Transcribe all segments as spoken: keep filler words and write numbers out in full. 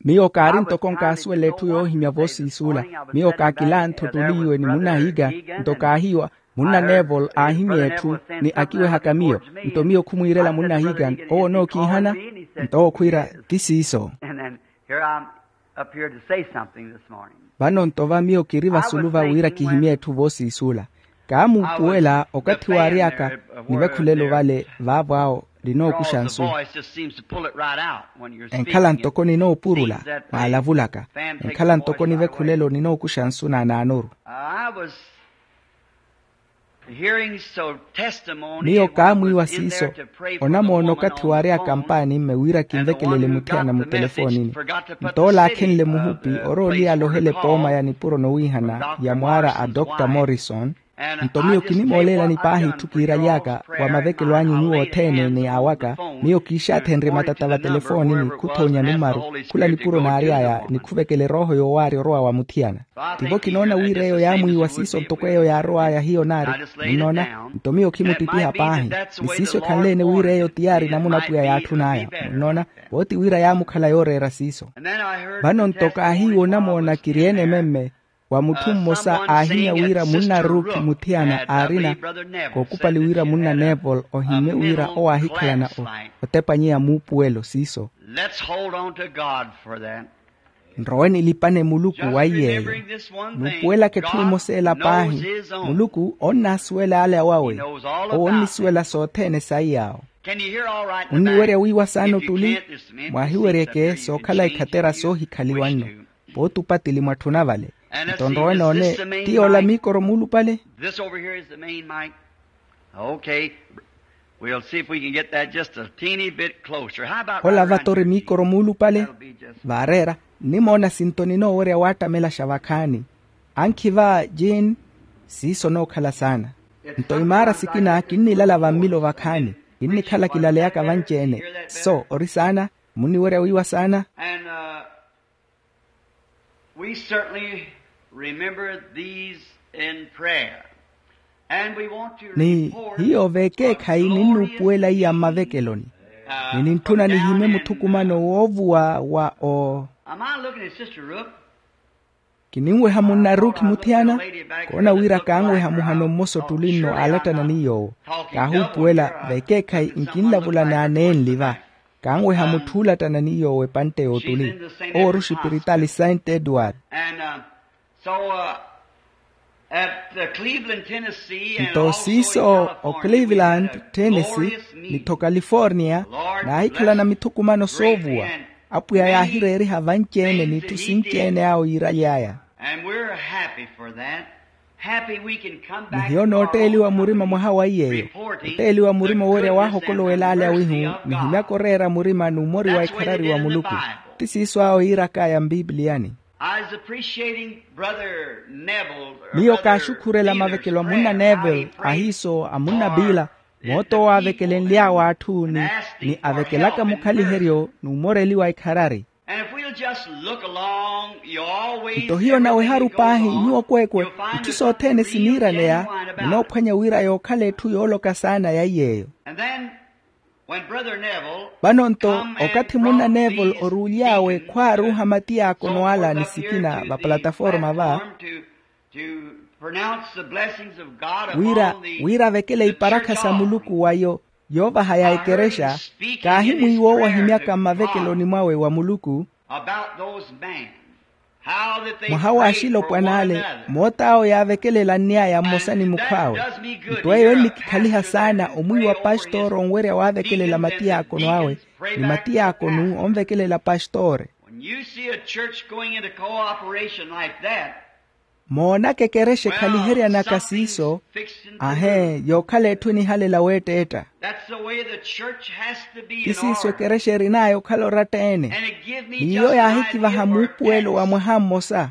Miyo kaari ntoko nkaasuwela etthu yoohimya voosiisula. Miyo kaakilantha ottuli iwe ni munnahiika. Nto kaahiiwa, munna neville aahimya etthu ni akiwehaka miyo. Nto miyo khumwiirela munnahiika, owo onookiihana? Nto owo khwiira, ti siiso. Vano nto va miyo kiri vasulu va wira kihimye etthu voosiisula. Kaamuupuwela okathi waary'aka, nivekhulelo vale vaavo awo ninookuxa nsu. Enkhala ntoko ninoopurula, mwaalavulaka. Enkhala ntoko nivekhulelo ninookuxa nsu naanaanoru. Miyo kaamwiiwa siiso. Onamoona okathi waary'aka mpaani mme wira kinvekelele muthiyana mutelefoonini. Nto ole aakhenle muhupi, orooliya alohele pooma ya nipuro nowiihana ya mwaara a dr morrison. Nto miyo kinimooleelani paahi itthu kiiraly'aka wa mavekelo anyu nyuwo othene ni awaka. Miyo kiixaathenrye matata vatelefoonini khuthoonya numaru, khula nipuro naary'aya ni khuvekela erooho yoowaarya orowa wa muthiyana. Tivo kinoona wira eyo yaamwiiwa siiso ntoko eyo yaarow'aya hiyo naari. Munnoona? Nto miyo khimuttipiha paahi. Ni siiso ekhanle-ene wira eyo tiyaari namuna apwiya yaatthun'aya. Munnoona? Vooti wira yaamukhala yooreera siiso. Vano nto kaahiiwa onamoona kiri ene memme, wa mutthu mmosa aahimya wira munna ruki muthiyana aarina, kookupali wira munna neville ohimmye wira owaahikhalana otepanyeya muupuwelo siiso. Nrowe nilipane muluku wa iy'eyo. Nuupuwelaka etthu emosa ela paahi. Muluku onnaasuwela ale awawe. Owo onnisuwela sothene saiy'awo. Munniwerya wiiwa saana ottuli? Mwaahiweryeke sookhala ikhatera soohikhaliwa nno. Pooti opatili mwatthuna vale. Nto nrowe noone, ti yoola miikoro muulupale? Ola vato ori miikoro muulupale. Vaareera, nnimoona sinto ninoowerya waattamelaxa vakhaani. Ankhi va jean. Siiso onookhala saana. Nto imaara sikina kinnilala vammilo vakhaani. Kinnikhala kilaleyaka vanci-ene. So ori saana. Munniwerya wiiwa saana. We certainly remember these in prayer. Ni hiyo vekeekhayi ninnuupuwela iya mmavekeloni. Ni nintthuna nihimye muthukumano woovuwa wa o. Kininweha munna ruki muthiyana. Koona wira kaanweha muhano mmosa ottuli nno aalattana ni yoowo. Kaahuupuwela vekeekhayi nkinlavula n'aneenli va. Kaanweha mutthu oolattana ni yoowo epantte y'ottuli. Owo ori oxipiritaali saint edward. Nto siiso o cleveland tennessee, nitho california, naahikhalana mithukumano soovuwa. Apwiya yaahireeriha vanci-ene n'itthu sinci-ene awo yiiraly'aya. Nihiyo nootteeliwa murima mwaha wa iy'eyo. Otteeliwa murima owerya waahokolowel'ale awihu. Nihimyaka oreera murima n'umori wa ikharari wa muluku. Ti siiso awo yiirak'aya mpipiliyani. Miyo kaaxukhurela mavekelo a munna neville, ahiiso a munna biila, moota owo aavekelenly'awe atthu ni avekelaka mukhaliheryo n'umoreli wa ikharari. Nto hiyo naweharu paahi nyuwo kweekwe, itthu sothene siniiraneya. Munoophwanya wira yookhala etthu yooloka saana ya iy'eyo. Vano nto okathi munna neville oruuly'awe khwaaruuha matiyaakono ala ni sikina vapalataforma va, wira wira avekele iparakha sa muluku wa yo yoovahaya ekerexa. Kaahimwiiwa owo ahimyaka mmavekeloni mwawe wa muluku. Mwaha w'axilopwan'ale, moot'awo yaavekelela nny'aya mmosa ni mukhw'awe. Nto eyo ennikikhaliha saana omwiiwa pastooro onwerya waavekelela matiyaakono awe, ni matiyaakono onvekelela pastoore. Moonaka ekerexa ekhaliheryanaka siiso. Ahee, yookhala etthu enihalela weetteetta. Ti siiso ekerexa erin'aya okhala oratta-ene. N'iyo yaahikivaha muupuwelo wa mwaha mmosa.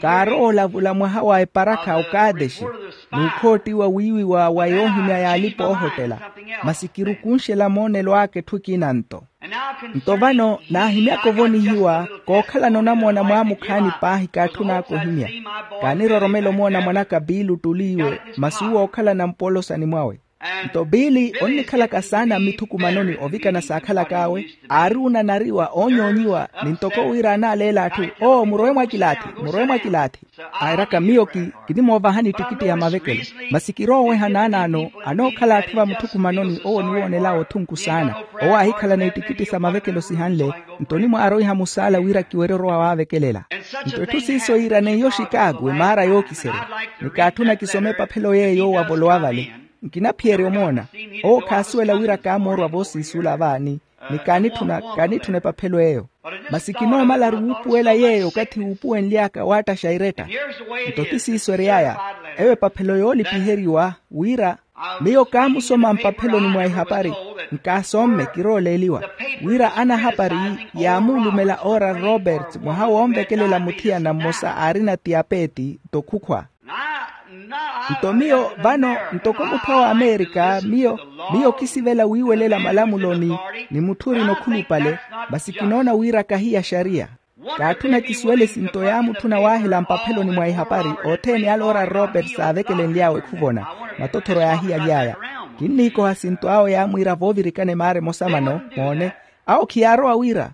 Kaarowa olavula mwaha wa eparakha okaatexi, n'ukhoottiwa wiiwiwa wa yoohimya y'alipa oohotela. Masi kirukunxela moonelo aka etthu ekina nto. Nto vano naahimyaka ovonihiwa kookhalana onamoona mwaamukhaani paahi kaatthun'aka ohimya. Kaaniroromela omoona mwan'aka biili ottuli iwe masi uwo ookhalana mpolosani mwawe. Nto biili onnikhalaka saana mmithukumanoni ovikana saakhalak'awe, aari onanariwa oonyoonyiwa ni ntoko wira anaaleela atthu, oo murowe mwakilaathi, murowe mwakilaathi. Airaka miyo kinimoovahani ettikitti ya mavekelo. Masi kirooweha naanaano anookhala atthu vamuthukumanoni owo oniwoonel'awe othunku saana. Owo aahikhalana ettikitti sa mavekelo sihanle. Nto onimwaaroiha musaala wira kiwerye orowa waavekelela. Nto etthu siiso yiira neiyo oxikaaku emaara yookiserya. Ni kaatthuna kisome epaphelo yeeyo wavolowa vale. Nkinaphiyerya omoona. Owo khaasuwela wira kaamoorwa voosiisuula vaani. Ni kaanitthuna kaanitthuna epaphelo eyo. Masi kinoomalaru wuupuwela yeeyo okathi wuupuwenly'aka waattaxa iretta. Nto ti siiso ery'aya. Eyo epaphelo yoolipiheriwa wira miyo kaamusoma mpapheloni mwa ihapari. Nkaasomme kirooleeliwa wira anahapari yaamuulumela oral roberts mwaha woonvekelela muthiyana mmosa aarina tiyapeti. Nto khukhwa. Nto miyo vano ntoko mutthu awo amerika miyo miyo kisivela wiiwelela malamuloni ni mutthu orina okhulupale. Masi kinoona wira kahiya xariya. Kaatthuna kisuwele sinto yaamutthuna waahela mpapheloni mwa ihapari othene ale oral roberts aavekelenly'awe khuvona. Matothoro yaahiyaly'aya. Kinniikoha sinto awo yaamwiira voovirikana emaara emosa vano moone. Awo khiyaarowa wira.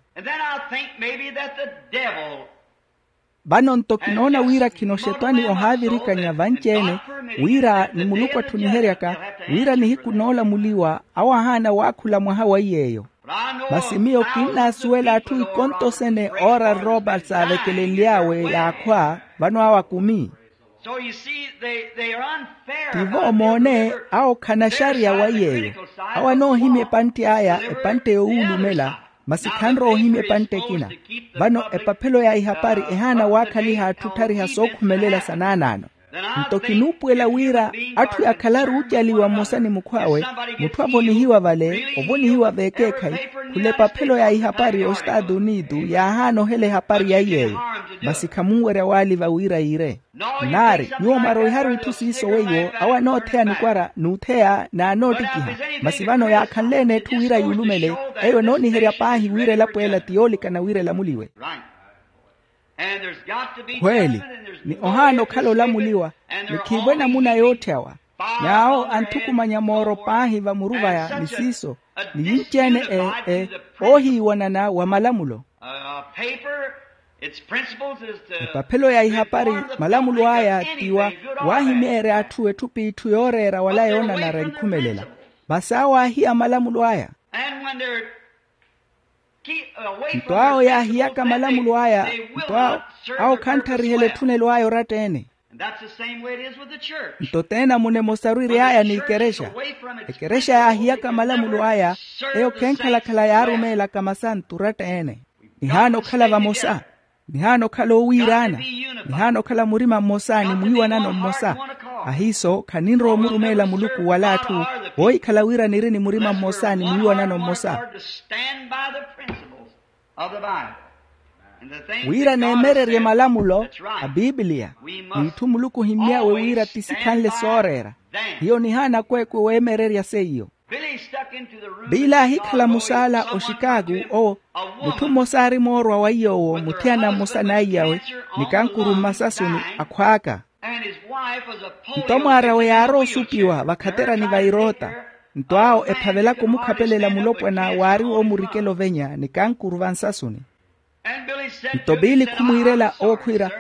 Vano nto kinoona wira khino xetwani ohaavirikanya vanci-ene wira ni muluku atthuniheryaka wira nihiku noolamuliwa awo ahaana waakhula mwaha wa iy'eyo. Masi miyo kinnaasuwela atthu ikonto sene oral roberts aavekelenly'awe yaakhwa vano awo akumi. Tivo moone awo khanaxariya wa iy'eyo. Awo anoohimya epantte aya epantte yowuulumela. Masi khanrowa ohimya epantte ekina. Vano epaphelo ya ihapari ehaana waakhaliha atthu otthariha sookhumelela sa naanaano. Nto kinuupuwela wira atthu yakhalaru ocaliwa mmosa ni mukhw'awe mutthu avonihiwa vale ovonihiwa veekeekhayi. Khula epaphelo ya ihapari ya ostaatu unitu yaahaana ohela ehapari ya iy'eyo. Masi khamunwerya waaliva wira yiire. Nnaari nyuwo mwaroiharu itthu siiso weiwo awo anootheya nikwara n'utheya n'anoottikiha. Masi vano yaakhanle-ene etthu wira yuulumele eyo enooniherya paahi wira elapo ela ti yoolikana wira elamuliwe. Khweeli. Ni ohaana okhala olamuliwa ni khiivo enamuna yootthyawa. N'awo anthukumanya mooro paahi vamuru vaya ni siiso ni yinci-ene e e oohiiwanana wa malamulo. Epaphelo ya ihapari malamulo aya ti wa waahimeerya atthu etthu p'itthu yooreera wala yoonanara enkhumelela. Masi awo aahiya malamulo aya. Nto awo yaahiyaka malamulo aya nto awo awo khanttharihelela etthunelo aya oratta-ene. Nto t'enamunemosaru iri aya n'ikerexa. Ekerexa yaahiyaka malamulo aya eyo khenkhalakhala yaarumeelaka masantu oratta-ene. Nihaana okhala vamosa. Nihaana okhala oowiiraana. Nihaana okhala murima mmosa ni mwiiwanano mmosa. Ahiiso khaninrowa omurumeela muluku wala atthu voohikhala wira niri ni murima mmosa ni mwiiwanano mmosa. Wira neemererye malamulo a pipiliya n'itthu muluku ohimmy'awe wira ti sikhanle sooreera. Hiyo nihaana akweekwe weemererya seiyo. Piili aahikhala musaala oxikaaku owo mutthu mmosa aari moorwa wa iy'owo muthiyana mmosa n'aiyawe ni kankuru mmasasuni akhwaaka. Nto mwaar'awe yaarowa osupiwa vakhaterani va iroota. Nto awo ephavelaka omukhapelela mulopwana waari woomurikela ovenya ni kankuru vansasuni. Nto piili khumwiirela owo khwiira,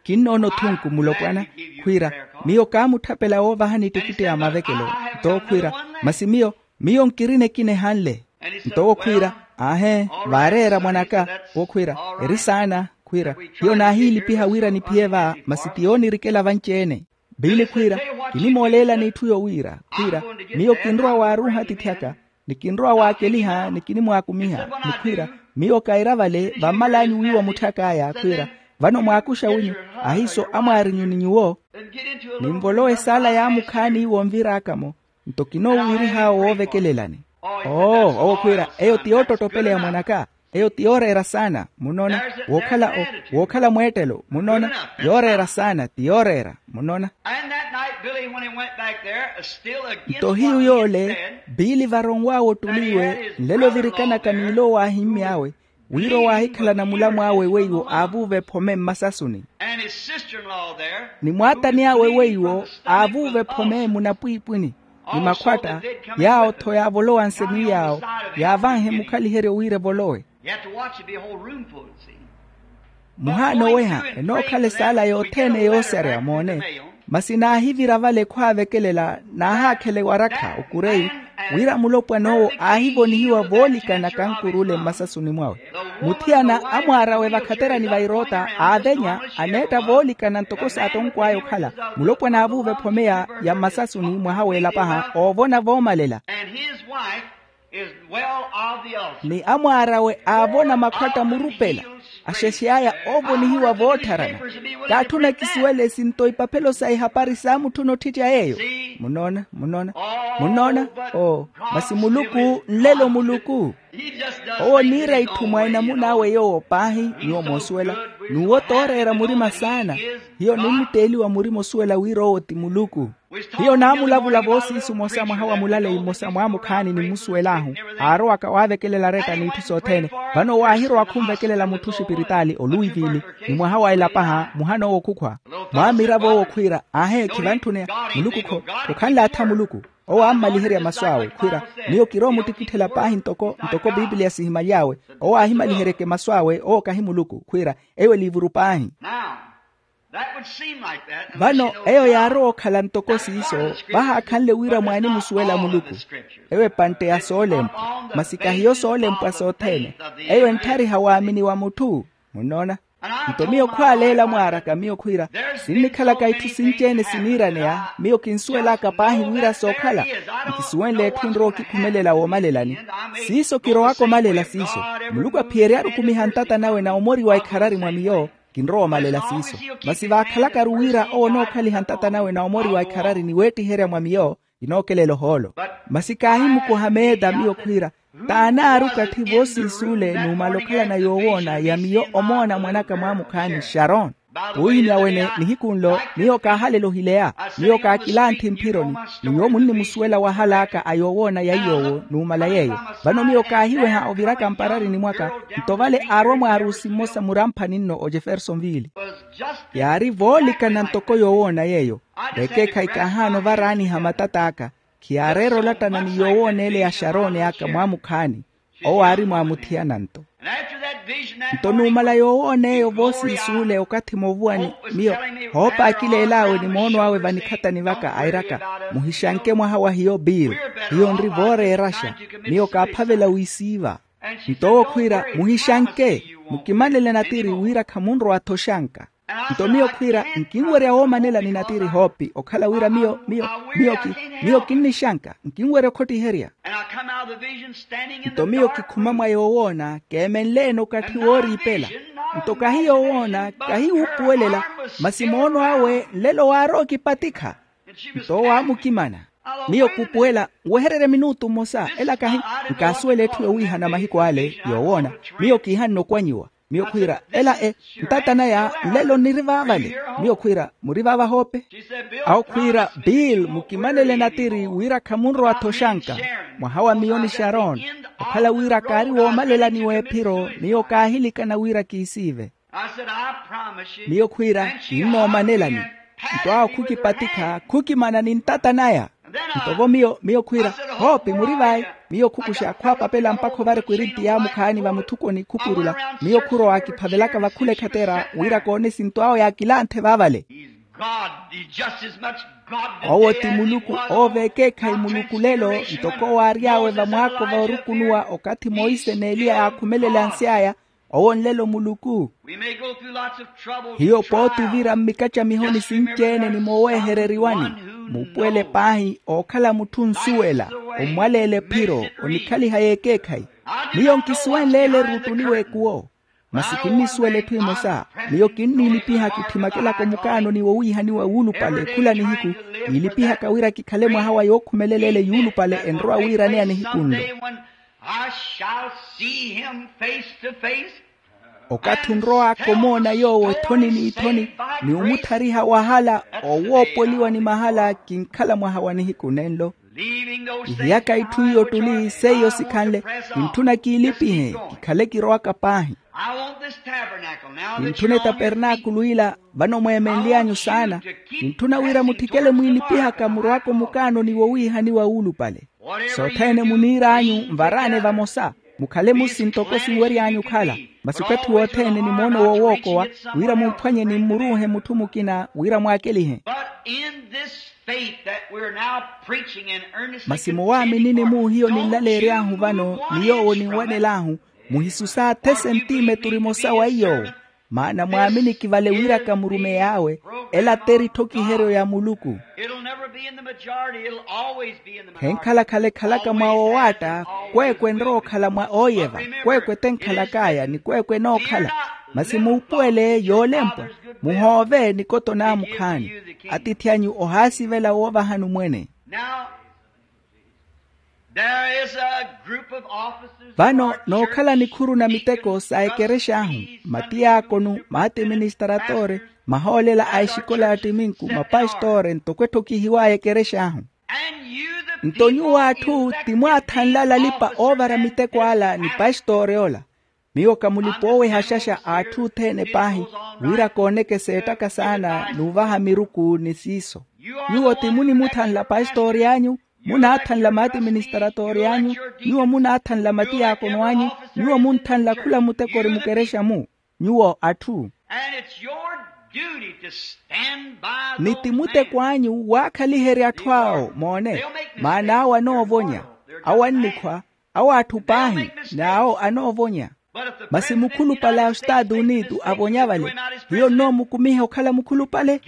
kinnoona othunku mulopwana. Khwiira, miyo kaamutthapela woovahani ettikitti ya mavekelo. Nto owo khwiira, masi miyo miyo nkirina ekina ehanle. Nto owo khwiira, aahe, vaareera mwan'aka. Owo khwiira, eri saana. Khwiira, hiyo naahiilipiha wira niphiye va masi ti yoonirikela vanci-ene. Piili khwiira, kinimooleelani itthu yowiira khwiira, miyo kinrowa waaruuha atithy'aka ni kinrowa waakeliha ni kinimwaakumiha ni khwiira, miyo kaira vale vammal'anyu wiiwa mutthak'aya khwiira, vano mwaakuxa winyu ahiiso amwaarinyu ni nyuwo. Ninvolowe saala yaamukhaani wonvir'aka-mo. Nto kinoowiirih'awe woovekelelani. Oo owo khwiira, eyo ti yoottottopeleya mwan'aka. Eyo ti yooreera saana, munona. Wookhala mweettelo, munona. Yooreera saana, ti yooreera, munona. Nto hiyu yoole, biili varonw'awe ottuliwe nlelo virikanaka n'ilowo aahimmy'awe, wira owaahikhalana mulamw'awe weiwo aavuuva ephome mmasasuni. Ni mwaatani awe weiwo aavuuva ephome munapwiipwini, ni makhwatta yaawo-tho yaavolowa nsemi yaawo, yaavanhe mukhaliheryo wira evolowe. Muhaana oweha enookhala esaala yothene yooserya moone. Masi naahivira vale khwaavekelela, naahaakhela ewarakha okureyi, wira mulopwan'owo aahivonihiwa voolikana kankur'ule mmasasuni mwawe. Muthiyana amwaar'awe vakhaterani va iroota aavenya, aneetta voolikana ntoko saatonkw'aya okhala. Mulopwana aavuuva ephome ya mmasasuni mwaha w'elapaha oovona voomalela. Ni amwaar'awe aavona makhwatta murupela, axexey'aya oovonihiwa voottharana. Kaatthuna kisuwele sinto ipaphelo sa ihapari saamutthuna otthittya yeeyo. Munona, munona, munona. Oo, masi muluku nlelo muluku. Owo oniira itthu mwa enamun'awe yoowo paahi. Nyuwo moosuwela, n'uwo tooreera murima saana. Hiyo ninnitteeliwa murima osuwela wira owo ti muluku. Hiyo naamulavula voosiisu mmosa mwaha wa mulaleyi mmosa mwaamukhaani nimmusuwel'ahu, aarowaka waavekelela aretta n'itthu sothene. Vano owo aahirowa khunvekelela mutthu oxipiritaali oluwivili, ni mwaha wa elapaha muhan'owo okhukhwa. Mwaamiravo owo khwiira, aahe khivantthune. Muluku khokhanle atha muluku. Owo aammaliherya masu awe khwiira, miyo kirowa omuttikitthela paahi ntoko ntoko pipiliya sihimaly'awe. Owo aahimaliheryeke masu awe owo kahi muluku khwiira, eyo eliivuru paahi. Vano eyo yaarowa okhala ntoko siiso, vahaakhanle wira mwaanimusuwela muluku. Eyo epantte ya soolempwa, masi kahiyo soolempwa sothene. Eyo entthariha waamini wa mutthu. Munnoona? Nto miyo khwaaleela mwaaraka miyo khwiira, sinnikhalaka itthu sinci-ene siniiraneya. Miyo kinsuwelaka paahi wira sookhala. Nkisuwenle etthu enrowa okikhumelela woomalelani. Siiso kirowaka omalela siiso. Muluku aphiyeryaru okumiha ntata nawe na omori wa ikharari mwa miyo. Kinrowa omalela siiso. Masi vaakhalakaru wira owo onookhaliha ntata nawe na omori wa ikharari ni weettiherya mwa miyo, kinookelela ohoolo. Masi kaahimukoha meeta miyo khwiira, t'anaari okatthi voosiisuule numala okhalana yoowoona ya miyo omoona mwanaka mwaamukhaani xaron. Puuhimya wene nihiku nlo miyo kaahalela ohileya. Miyo kaakilantthi mphironi. Ni nyuwo munnimusuwela wahal'aka a yoowoona ya iy'owo numala yeeyo. Vano miyo kaahiweha oviraka mpararini mwaka. Nto vale aarwa mwaarusi mmosa muramphani nno ojefersonville. Yaari voolikana ntoko yoowoona yeeyo. Vekeekhayi kaahaana ovaraaniha matat'aka. Khiyaareera olattana ni yoowoona ele ya xarooni aka mwaamukhaani. Owo aari mwaamuthiyana nto. Nto numala yoowoona eyo voosiisuule okathi moovuwani, miyo hoopakileel'awe ni moono awe vanikhatani vaka airaka, muhixanke mwaha wa hiyo bill. Hiyo nri vooreeraxa. Miyo kaaphavela wisiiva. Nto owo khwiira, muhixanke, mukimanele natiri wira khamunrowa-tho oxanka. Nto miyo khwiira, nkinwerya woomanela ni natiri hoopi okhala wira miyo miyo miyo ki miyo kinnixanka nkinwerya okhottiherya. Nto miyo kikhuma mwa yoowoona keemenle-ene okatthi wooriipela. Nto kahi yoowoona kahi wuupuwelela, masi moono awe nlelo waarowa okipatikha. Nto owo aamukimana. Miyo kuupuwela, nwehererye minutu mmosa ela kahi. Nkaasuwela etthu yowiihana mahiku ale yoowoona. Miyo kiihanne okwanyiwa. Miyo khwiira, ela e ntata naya nlelo nniri vaavale. Miyo khwiira, muri vaava hoope? Awo khwiira, bill mukimanele natiri wira khamunrowa-tho oxanka. Mwaha wa miyo ni xaron, okhala wira kaari woomalelani w'ephiro miyo kaahilikana wira kiisiive. Miyo khwiira, kinnoomanelani. Nto awo khukipatikha khukimana ni ntata naya. Nto vo miyo miyo khwiira, hoopi muri vayi? Miyo khukuxa khwaapapela mpakha ovareka erinti yaamukhaani vamuthukoni khupurula. Miyo khurowa kiphavelaka vakhula ekhatera wira koone esinto awo yaakilanthe vaavale. Owo ti muluku. Owo veekeekhayi muluku lelo. Ntoko owo aary'awe vamwaako voorukunuwa okathi monse n'eliya yaakhumelela ansi aya. Owo nlelo muluku. Hiyo pooti ovira mmikacamihoni sinci-ene ni moowehereriwani. Muupuwele paahi ookhala mutthu onsuwela, ommwaleela ephiro, onikhaliha y'ekeekhayi. Miyo nkisuwenle ele eruttuliwa ekuwo. Masi kinnisuwela etthu emosa. Miyo kinniilipiha kitthimakelaka omukaanoni wowiihaniwa wuulupale khula nihiku. Kiilipihaka wira kikhale mwaha wa yookhumelela ele yuulupale enrowa wiiraneya nihiku nlo. I shall see him face to face. Okathi onrowaka omoona yoowo ethoni n'ithoni, ni omuthariha wahala owoopoliwa ni mahala kinkhala mwaha wa nihiku nenlo. Ihiyaka itthu iyo ottuli seiyo sikhanle, kintthuna kiilipihe kikhale kirowaka paahi. Kintthuna etapernaakulu ila vano mweemenly'anyu saana. Kintthuna wira mutthikele mwiilipihaka murowaka omukaanoni wowiihaniwa wuulupale. Sothene muniir'anyu nvaraane vamosa, mukhale musi ntoko sinwery'anyu okhala. Masi okathi wothene ni moono wowookowa, wira mumphwanye ni mmuruuhe mutthu mukina wira mwaakelihe. Masi muwaaminini-mu hiyo ninlaleery'ahu vano ni yoowo ninwanel'ahu, muhisusa athe sentimeturu emosa wa iy'owo. Maana mwaaminiki vale wiraka murumeyi awe, ela t'erithokiheryo ya muluku. Khenkhala khale ekhalaka mwa wowaatta, kweekwe enrowa okhala mwa ooyeva. Kweekwe t'enkhalak'aya ni kweekwe enookhala. Masi muupuwele yoolempwa, muhoove nikoto naamukhaani. Atiithi anyu ohaasivela woovahani omwene. Vano nookhala nikhuru na miteko sa ekerex'ahu, matiyaakonu, maatiministaratore, mahoolela a exikola ya ttiminku, mapastore ntoko etthokihiw'aya ekerex'ahu. Nto nyuwo atthu ti mwaathanle alalipa oovara miteko ala ni pastore ola. Miyo ka mulipa oowehaxaxa a atthu othene paahi, wira kooneke seettaka saana n'uvaha miruku ni siiso. Nyuwo ti munimuthanla pastori anyu, munaathanla maatiministaratori anyu, nyuwo munaathanla matiyaakono anyu, nyuwo munthanla khula muteko ori mukerexa-mu. Nyuwo atthu. Ni ti muteko anyu waakhaliherya atthu awo moone. Maana awo anoovonya, awo annikhwa, awo atthu paahi n'awo anoovonya. Masi mukhulupale a ostaatu unitu avonya vale, hiyo nnoomukumiha okhala mukhulupale?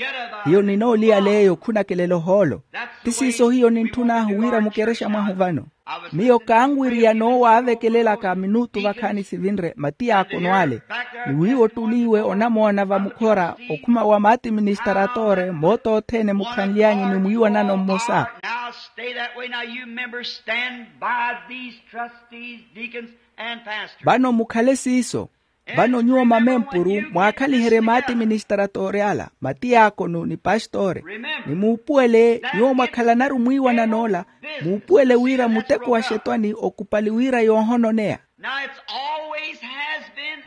Hiyo ninooliyala eyo khunakelela ohoolo. Ti siiso hiyo nintthun'ahu wira mukerexa mwahu vano. Miyo kaanwiriya noowaavekelelaka minutu vakhaani sivinre matiyaakono ale. Ni wiiwo ottuliiwe onamoona vamukhora okhuma wa maatiministaratore moota othene mukhanly'anyu ni mwiiwanano mmosa. Vano mukhale siiso. Vano nyuwo mamempuru, mwaakhaliherye maatiministaratore ala, matiyaakono ni pastore. Ni muupuwele nyuwo mwakhalanaru mwiiwanan'ola, muupuwele wira muteko wa xetwani okupali wira yoohononeya.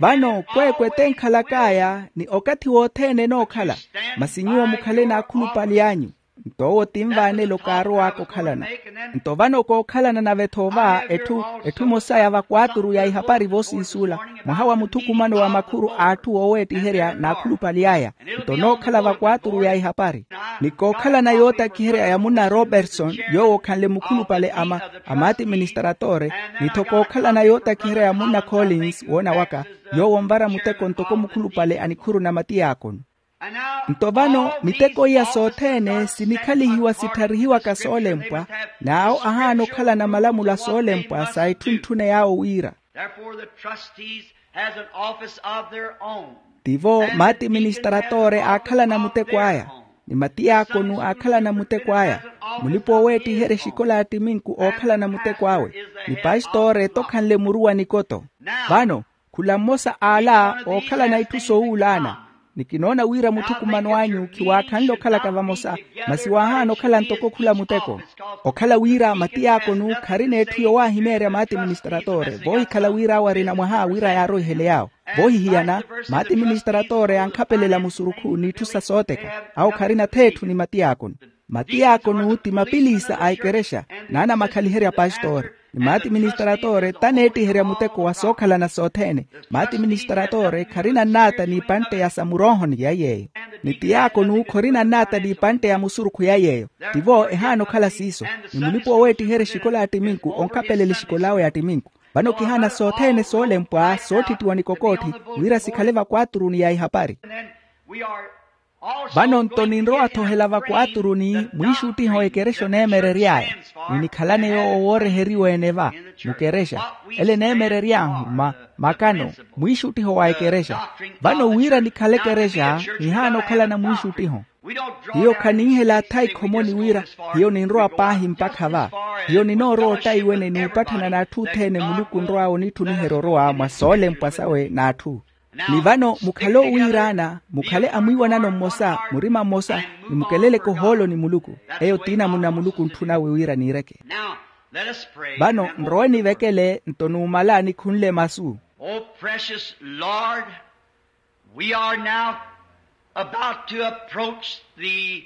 Vano kweekwe t'enkhalak'aya ni okathi wothene enookhala. Masi nyuwo mukhale n'akhulupali anyu. Nto owo ti nvaanelo kaarow'aka okhalana. Nto vano kookhalana nave-tho va etthu etthu emosa ya vakwaaturu ya ihapari voosiisuula, mwaha wa muthukumano wa makhuru a atthu ooweettiherya n'akhulupali aya. Nto nookhala vakwaaturu ya ihapari, ni kookhalana yootakiherya ya munna robertson yoowo okhanle mukhulupale a maatiministaratore, ni-tho kookhalana yootakiherya ya munna collins woona waka, yoowo onvara muteko ntoko mukhulupale a nikhuru na matiyaakono. Nto vano miteko iya sothene sinikhalihiwa sittharihiwaka soolempwa, n'awo ahaana okhalana malamulo a soolempwa sa etthu ntthune yaawo wira. Tivo maatiministaratore aakhalana muteko aya, ni matiyaakono aakhalana muteko aya, mulipa-ooweettiherya exikola ya ttiminku ookhalana muteko awe, ni pastore tokhanle muru wa nikoto. Vano khula mmosa a ala ookhalana itthu soowuulaana. Ni kinoona wira muthukumano anyu khiwaakhanle okhalaka vamosa, masi waahaana okhala ntoko khula muteko. Okhala wira matiyaakono kharina etthu yowaahimeerya maatiministaratore voohikhala wira awo arina mwaha wira yaaroihele yaawo. Voohihiyana, maatiministaratore ankhapelela musurukhu n'itthu sa sooteka. Awo kharina th'etthu ni matiyaakono. Matiyaakono ti mapiliisa a ekerexa, n'anamakhaliherya pastore. Ni maatiministaratore t'aneettiherya muteko wa sookhalana sothene. Maatiministaratore kharina nnaata n'ipantte ya samuroohoni ya yeeyo. Ni tiyaakono khorina nnaata n'ipantte ya musurukhu ya yeeyo. Tivo ehaana okhala siiso. Ni mulipa-ooweettiherya exikola ya ttiminku onkhapelela exikol'awe ya ttiminku. Vano kihaana sothene soolempwa soottittiwa ni kokootthi, wira sikhale vakwaturuni ya ihapari. Vano nto ninrowa-tho ohela vakwaturuni mwiixuttiho ekerexa oneemerery'aya, ni nikhalane yoowo wooreheriwa-ene va mukerexa. Ele eneemerery'ahu makano mwiixuttiho wa ekerexa. Vano wira nikhale ekerexa nihaana okhalana mwiixuttiho. Hiyo khaninhela atha ikhomoni wira hiyo ninrowa paahi mpakha va. Hiyo ninoorowa ottaiwene n'upatthana n'atthu othene muluku onrw'awe onitthuniherya orowa mwa soolempwa sawe n'atthu. Ni vano mukhale owiiraana, mukhale amwiiwanano mmosa, murima mmosa, ni mukeleleke ohoolo ni muluku. Eyo ti namuna muluku ontthunawe wira niireke. Vano nrowe nivekele nto numala nikhunle masu. Oh precious Lord, we are now about to approach the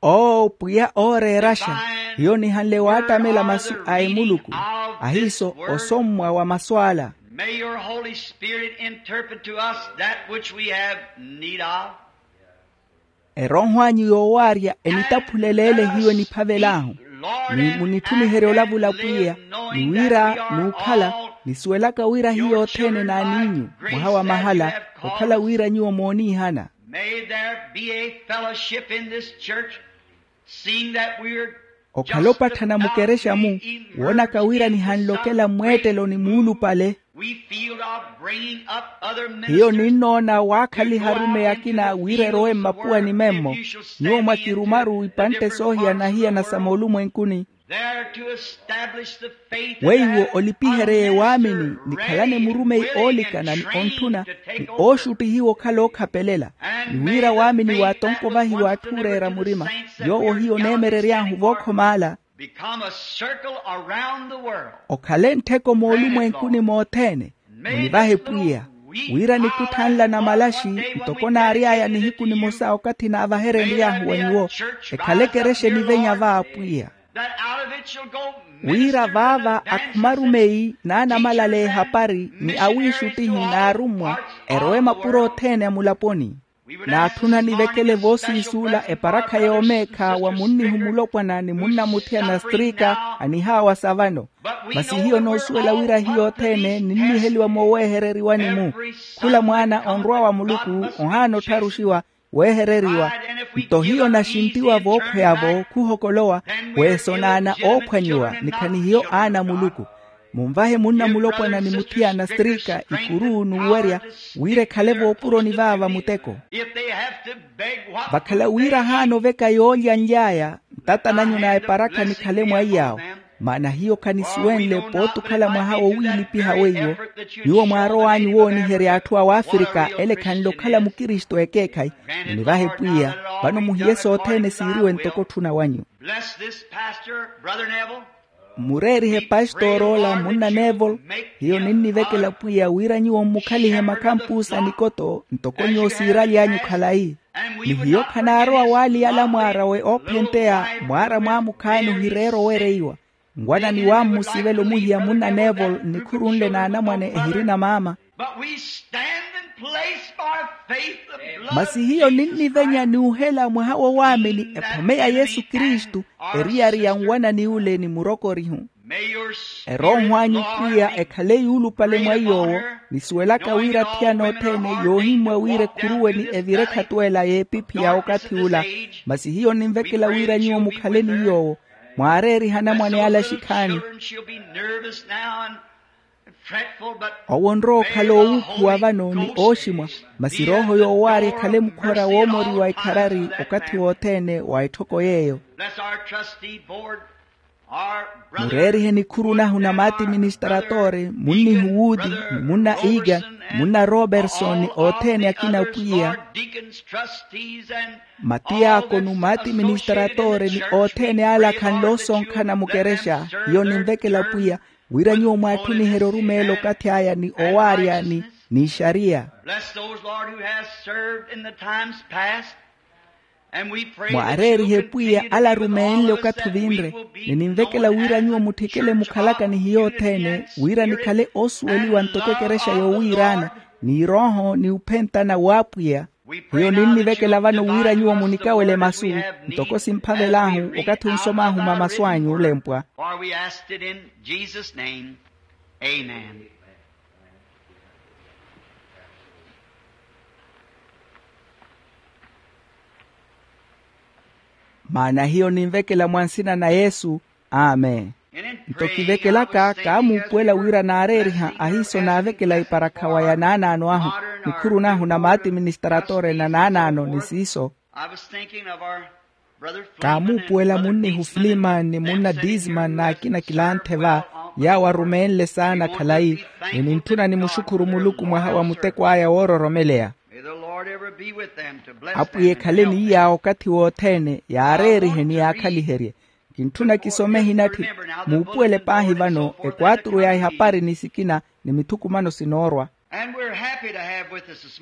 oo pwiya ooreeraxa. Hiyo nihanle waattamela masu a emuluku, ahiiso osommwa wa masu ala. May your Holy Spirit interpret to us that which we have need of. Erooho anyu yoowaarya enitaphulele ele hiyo eniphavel'ahu, ni munitthuniherye olavula pwiya, ni wira n'ukhala nisuwelaka wira hiyo othene n'an'inyu mwaha wa mahala, okhala wira nyuwo mooniihana. May there be a fellowship in this church, seeing that we're okhala opatthana mukerexa-mu, woonaka wira nihanlokela mmweettelo ni muulupale. We feel of bringing up other ministers. Hiyo ninnoona waakhaliha arumeyi akina wira erowe mmapuwani memmo. Nyuwo mwakirumaru ipantte soohiyana-hiyana sa moolumwenkuni. There to establish the faith weiwo olipiherye waamini nikhalane murumeyi oolikana ni ontthuna, ni ooxuttihiwa okhala ookhapelela, ni wira waamini waatonkovahiwa atthu ooreera murima. Yoowo hiyo oneemerery'ahu vookhom'ala. Become a circle around the world. Okhale nttheko moolumwenkuni mothene. Munivahe pwiya, wira nikutthanla na malaxi ntoko naary'aya nihiku nimosa okathi naavaherenry'ahu wa nyuwo, ekhale ekerexa enivenya va apwiya. Wira vaava akhuma arumeyi n'anamalala ehapari ni awiixuttihi n'arummwa, erowe mapuro othene a mulaponi. Naatthuna nivekele voosiisuula eparakha yoomeekha wa munnihu mulopwana ni munnamuthiyana strika, anihaawasa vano. Masi hiyo noosuwela wira hiyo othene ninniheliwa mooweehereriwani-mu. Khula mwaana onrwa wa muluku ohaana ottharuxiwa, weehereriwa. Nto hiyo naxintiwa vookhweya-vo khuhokolowa, weesonaana oophwanyiwa ni khanihiyo aana a muluku. Munvahe munna mulopwana ni muthiyana strika ikuru n'uwerya, wira ekhale voopuroni vaava muteko. Vakhala wira ahaana oveka yoolyanly'aya, ntatananyu na eparakha nikhale mwa iy'awo. Maana hiyo khanisuwenle pooti okhala mwaha wowiilipiha weiwo. Nyuwo mwaarow'anyu wooniherya atthu a wafrika ele khanle okhala mukristu ekeekhayi. Munivahe pwiya, vano muhiye sothene siiriwe ntoko otthuna wanyu. Bless this pastor, Brother Neville. Mureerihe pastor ola munna neville. Hiyo ninnivekela pwiya wira nyuwo mmukhalihe makhampusa nikoto ntoko nyuwo siiraly'anyu khalayi. Ni hiyo khanaarowa waaliyala mwaarawe oophenteya mwaara mwaamukhaani ohireera owereiwa. Ngwana ni wammusivela omuhiya munna neville nnikhurunle n'anamwane ehirina maama. But we stand in place by faith the blood of Jesus Christ. Masi hiyo ninnivenya n'uhela mwaha wa waamini ephome ya yesu kristu, eriyari ya nwanani ule ni murokorihu. Erooho anyu pwiya ekhale yuulupale mwa iy'owo. Nisuwelaka wira athiyana othene yoohimmwa wira ekhuruwe ni evire ekhatuwela y'epiphi ya okathi ula. Masi hiyo ninvekela wira nyuwo mukhale ni yoowo, mwaareeriha anamwane ala axikhaani. Owo onrowa okhala oowuukhuwa vano ni ooximwa, masi erooho yoowaarya ekhale mukhora woomoriwa ekharari okathi wothene wa etthoko y'eyo. Mureerihe nikhuru nahu na maati ministratore munnihu wuudi, ni munna egan, munna roberson ni othene akina pwiya. Matiyakonu maati ministratore ni othene ala akhanle osonkhana mukerexa. Hiyo ninvekela pwiya wira nyuwo mwaatthuniherye orumeela okathi aya ni owaarya ni n'ixariya. Bless those, Lord, who has served in the times past. Mwaareerihe pwiya ala arumeenle okathi vinre. Ni ninvekela wira nyuwo mutthikele mukhalaka ni hiyo othene wira nikhale oosuweliwa ntoko ekerexa yoowiiraana, n'irooho ni uphentana w'apwiya. Hiyo ninnivekela vano wira nyuwo munikawele masu ntoko simphavel'ahu okathi onsom'ahu mamasu anyu olempwa. Maana hiyo ninvekela mwa nsina na yesu. Amen. Nto kivekelaka kaamuupuwela wira naareeriha ahiiso naavekela eparakhawa ya naanaano ahu, nikhuru nahu na maati ministratore na naanaano ni siiso. Kaamuupuwela munnihu filiman ni munna disman n'akina kilanthe va, yaawo arumeenle saana khalayi. Ni nintthuna nimuxukhuru muluku mwaha wa muteko aya woororomeleya. Apwiya ekhale ni yaawo okathi wothene yaareerihe ni yaakhaliherye. Kintthuna kisome ehinatthi. Muupuwele paahi vano ekwaaturu ya ehapari ni sikina ni mithukumano sinoorwa.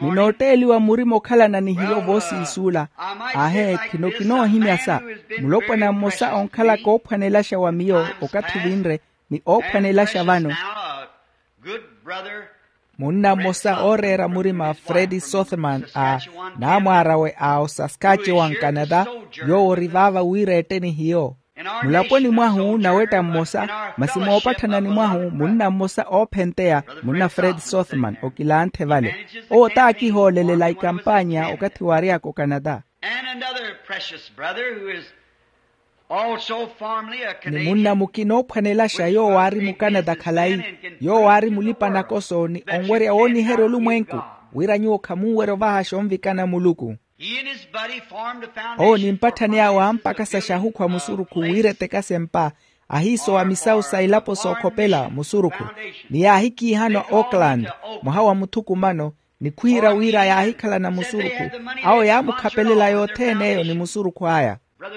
Ni nootteeliwa murima okhalana ni hiyo voosiisuula. Aahe, khino kinoohimyasa. Mulopwana mmosa onkhalaka oophwanelaxa wa miyo okathi ovinre ni oophwanelaxa vano, munna mmosa ooreera murima, Fred Sothmann, a naamwaar'awe a osaskatchewan canada, yoowo ori vaava wira eette ni hiyo. Mulaponi mwahu nawetta mmosa, masi moopatthanani mwahu munna mmosa oophenteya, munna Fred Sothmann okilanthe vale. Owo t'akihoolelela ikampanya okathi waary'aka ocanada. And another precious brother who is also formerly a ni munna mukina oophwanelaxa yoowo aari mucanada khalayi, yoowo aari mulipa-nakoso ni onwerya wooniherya olumwenku, wira nyuwo khamunwerya ovahaxa onvikana muluku. Owo ni mpatthani awe ampakasaxa ahukhwa musurukhu wira etekase mpa, ahiisowa misawu sa ilapo sookhopela musurukhu. Ni yaahikiihana oakland mwaha wa muthukumano, ni khwiira wira yaahikhalana musurukhu. Awo yaamukhapelela yothene eyo ni musurukhu aya.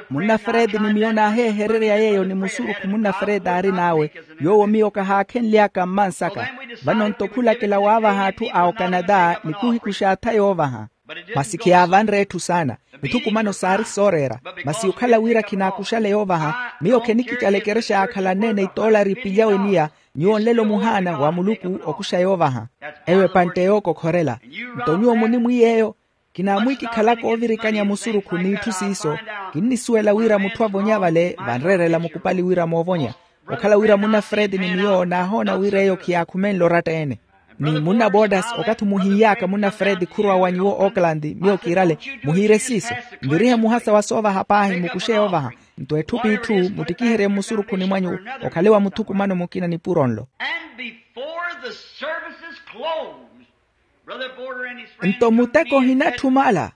Munna Fred ni miyo naaheehererya yeeyo ni musurukhu munna Fred aarin'awe, yoowo miyo kahaakhenly'aka mmansaka. Vano nto khulakela waavaha atthu a ocanada ni khuhikuxa atha yoovaha. Masi khiyaavanre etthu saana. Mithukumano saari sooreera. Masi okhala wira khinaakuxale yoovaha, miyo khenikicala ekerexa yaakhalanneene itoolari ipilyawe miya. Nyuwo nlelo muhaana wa muluku okuxa yoovaha. Eyo epantte yookokhorela. Nto nyuwo munimwiiyeeyo. Kinaamwikikhalaka oovirikanya musurukhu n'itthu siiso. Kinnisuwela wira mutthu avonya vale vanreerela mukupali wira moovonya. Okhala wira munna Fred ni miyo naahoona wira eyo khiyaakhumenle oratta-ene. Ni munna borders, okathi muhiiy'aka munna Fred khurwa wa nyuwo oakland, miyo kiirale. Muhiire siiso. Nvirihe muhasa wa soovaha paahi mukuxe yoovaha. Nto etthu p'itthu muttikiherye mmusurukhuni mwanyu, okhale wa muthukumano mukina nipuro nlo. And before the service is closed, Brother Border and his friends nto come to muteko me and said, ohinatthumala.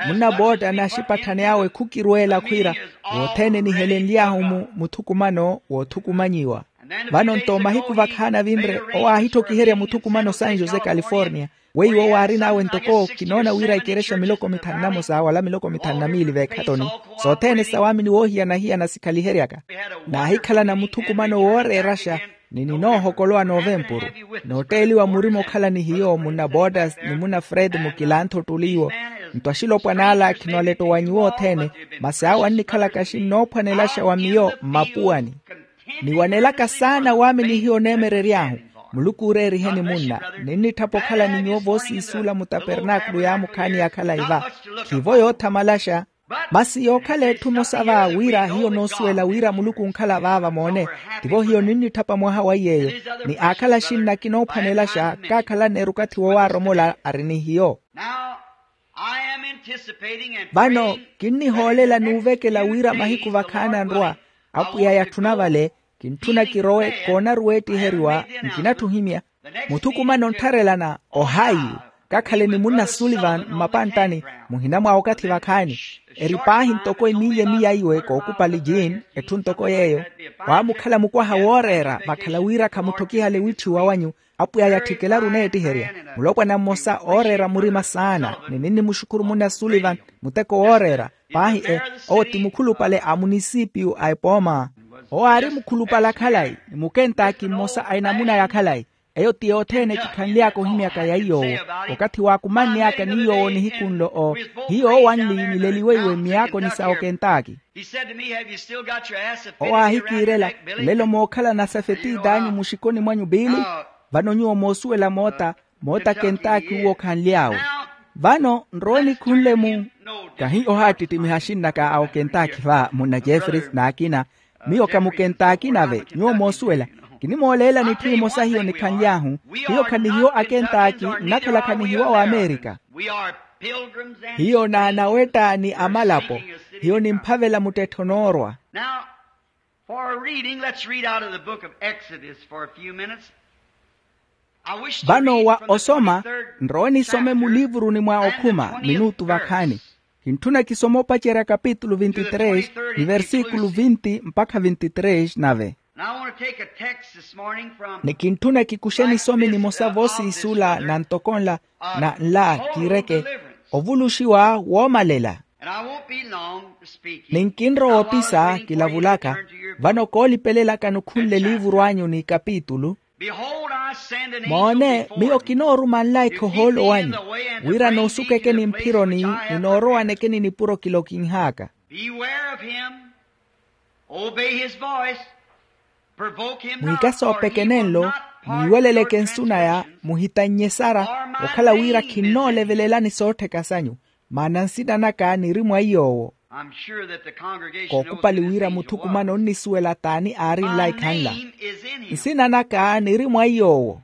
Munna boota n'axipatthani awe khukirweela khwiira, wothene nihelenly'ahu mu muthukumano woothukumanyiwa. Vano nto mahiku vakhaana vinre owo aahittokiherya muthukumano san jose california, weiwo owo aarin'awe ntoko kinoona wira ikerexa miloko mithanu na mosa wala miloko mithanu na miili veekhattoni. Sothene sawaamini woohiyana-hiyana sikhaliheryaka. Naahikhalana muthukumano wooreeraxa, ni ninoohokolowa novempuru. Nootteeliwa murima okhala ni hiyo munna borders ni munna fred mukilantha ottuli iwo. Nto axilopwan'ala khino alettowanyiwa othene, masi awo annikhalaka axinoophwanelaxa wa miyo mmapuwani. Niwanelaka saana waamini hiyo oneemerery'ahu. Muluku ooreeriheni munna. Ninnitthapa okhala ni nyuwo voosiisuula mutapernaakulu yaamukhaani ya khalayi va. Khivo yoothamalaxa. Masi yookhala etthu emosa va wira hiyo noosuwela wira muluku onkhala vaava moone. Tivo hiyo ninnitthapa mwaha wa iy'eyo. Ni aakhala axinna akinoophwanelaxa kaakhalanne erukathi woowaromola ari ni hiyo. Vano kinnihoolela n'uvekela wira mahiku vakhaana nrwa. Apwiya yatthuna vale. Kintthuna kirowe koonaru weettiheriwa. Nkinatthu ohimya. Muthukumano onttharelana ohayi. Kakhale ni munna sullivan mmapanttani. Muhina mwa okathi vakhaani. Eri paahi ntoko emiiya emiya iwe kookupali jean. Etthu ntoko yeeyo. Waamukhala mukwaha wooreera vakhala wira khamutthokihale wiitthiwa wanyu. Apwiya yatthikelaru oneettiherya. Mulopwana mmosa ooreera murima saana ni ninnimuxukhuru munna sullivan. Muteko wooreera. Paahi e owo ti mukhulupale a munisipiyu a epooma. Owo aari mukhulupale a khalayi ni mukentaaki mmosa a enamuna ya khalayi. Eyo ti yothene kikhanly'aka ohimyaka ya iy'owo. Okathi waakumanny'aka ni iy'owo nihiku nlo o hiyo owanli nileliweiwe mmiyaakoni sa okentaaki. Owo aahikiirela, nlelo mookhalana safetiit'anyu muxikoni mwanyu biili. Vano nyuwo moosuwela moota moota kentaaki uwo okhanly'awe. Vano nrowe nikhunle mu kahi ohaattittimiha axinnaka a okentaaki va munna jeffries n'akina. Miyo kha mukentaaki nave nyuwo moosuwela. Kinimooleelani etthu emosa hiyo nikhanly'ahu. Hiyo khanihiwo akentaaki nnakhala khanihiwa waamerika. Hiyo n'anawetta ni amalapo. Hiyo nimphavela muttettho noorwa. For a reading, let's read out of the book of Exodus for a few minutes. Vano wa osoma nrowe nisome muliivuruni mwa okhuma minutu vakhaani. Kintthuna kisoma opacerya kapitulu vinti tres ni versikulu vinti mpakha vinti tres nave. Ni kintthuna kikuxe nisomi nimosa voosiisula na ntoko nla na nla kiireke ovuluxiwa woomalela. Ni nkinrowa opisa kilavulaka. Vano koolipelelaka nukhunle liivuru anyu ni kapitulu. Moone, miyo kinooruma nlaikha ohoolo wanyu wira noosukekeni mphironi ni noorowanekeni nipuro kilokinh'aka. Beware of him. Obey his voice. Provoke him not, for he will not hearken to your transgression. Mwiikasoopekene nlo, mwiiweleleke nsunaya, muhitannye sara okhala wira khinnoolevelelani soottheka sanyu. Maana nsina naka niri mwa iy'owo. Kookupali wira muthukumano onnisuwela t'ani aari nlaikha nla. Nsina naka niri mwa iy'owo.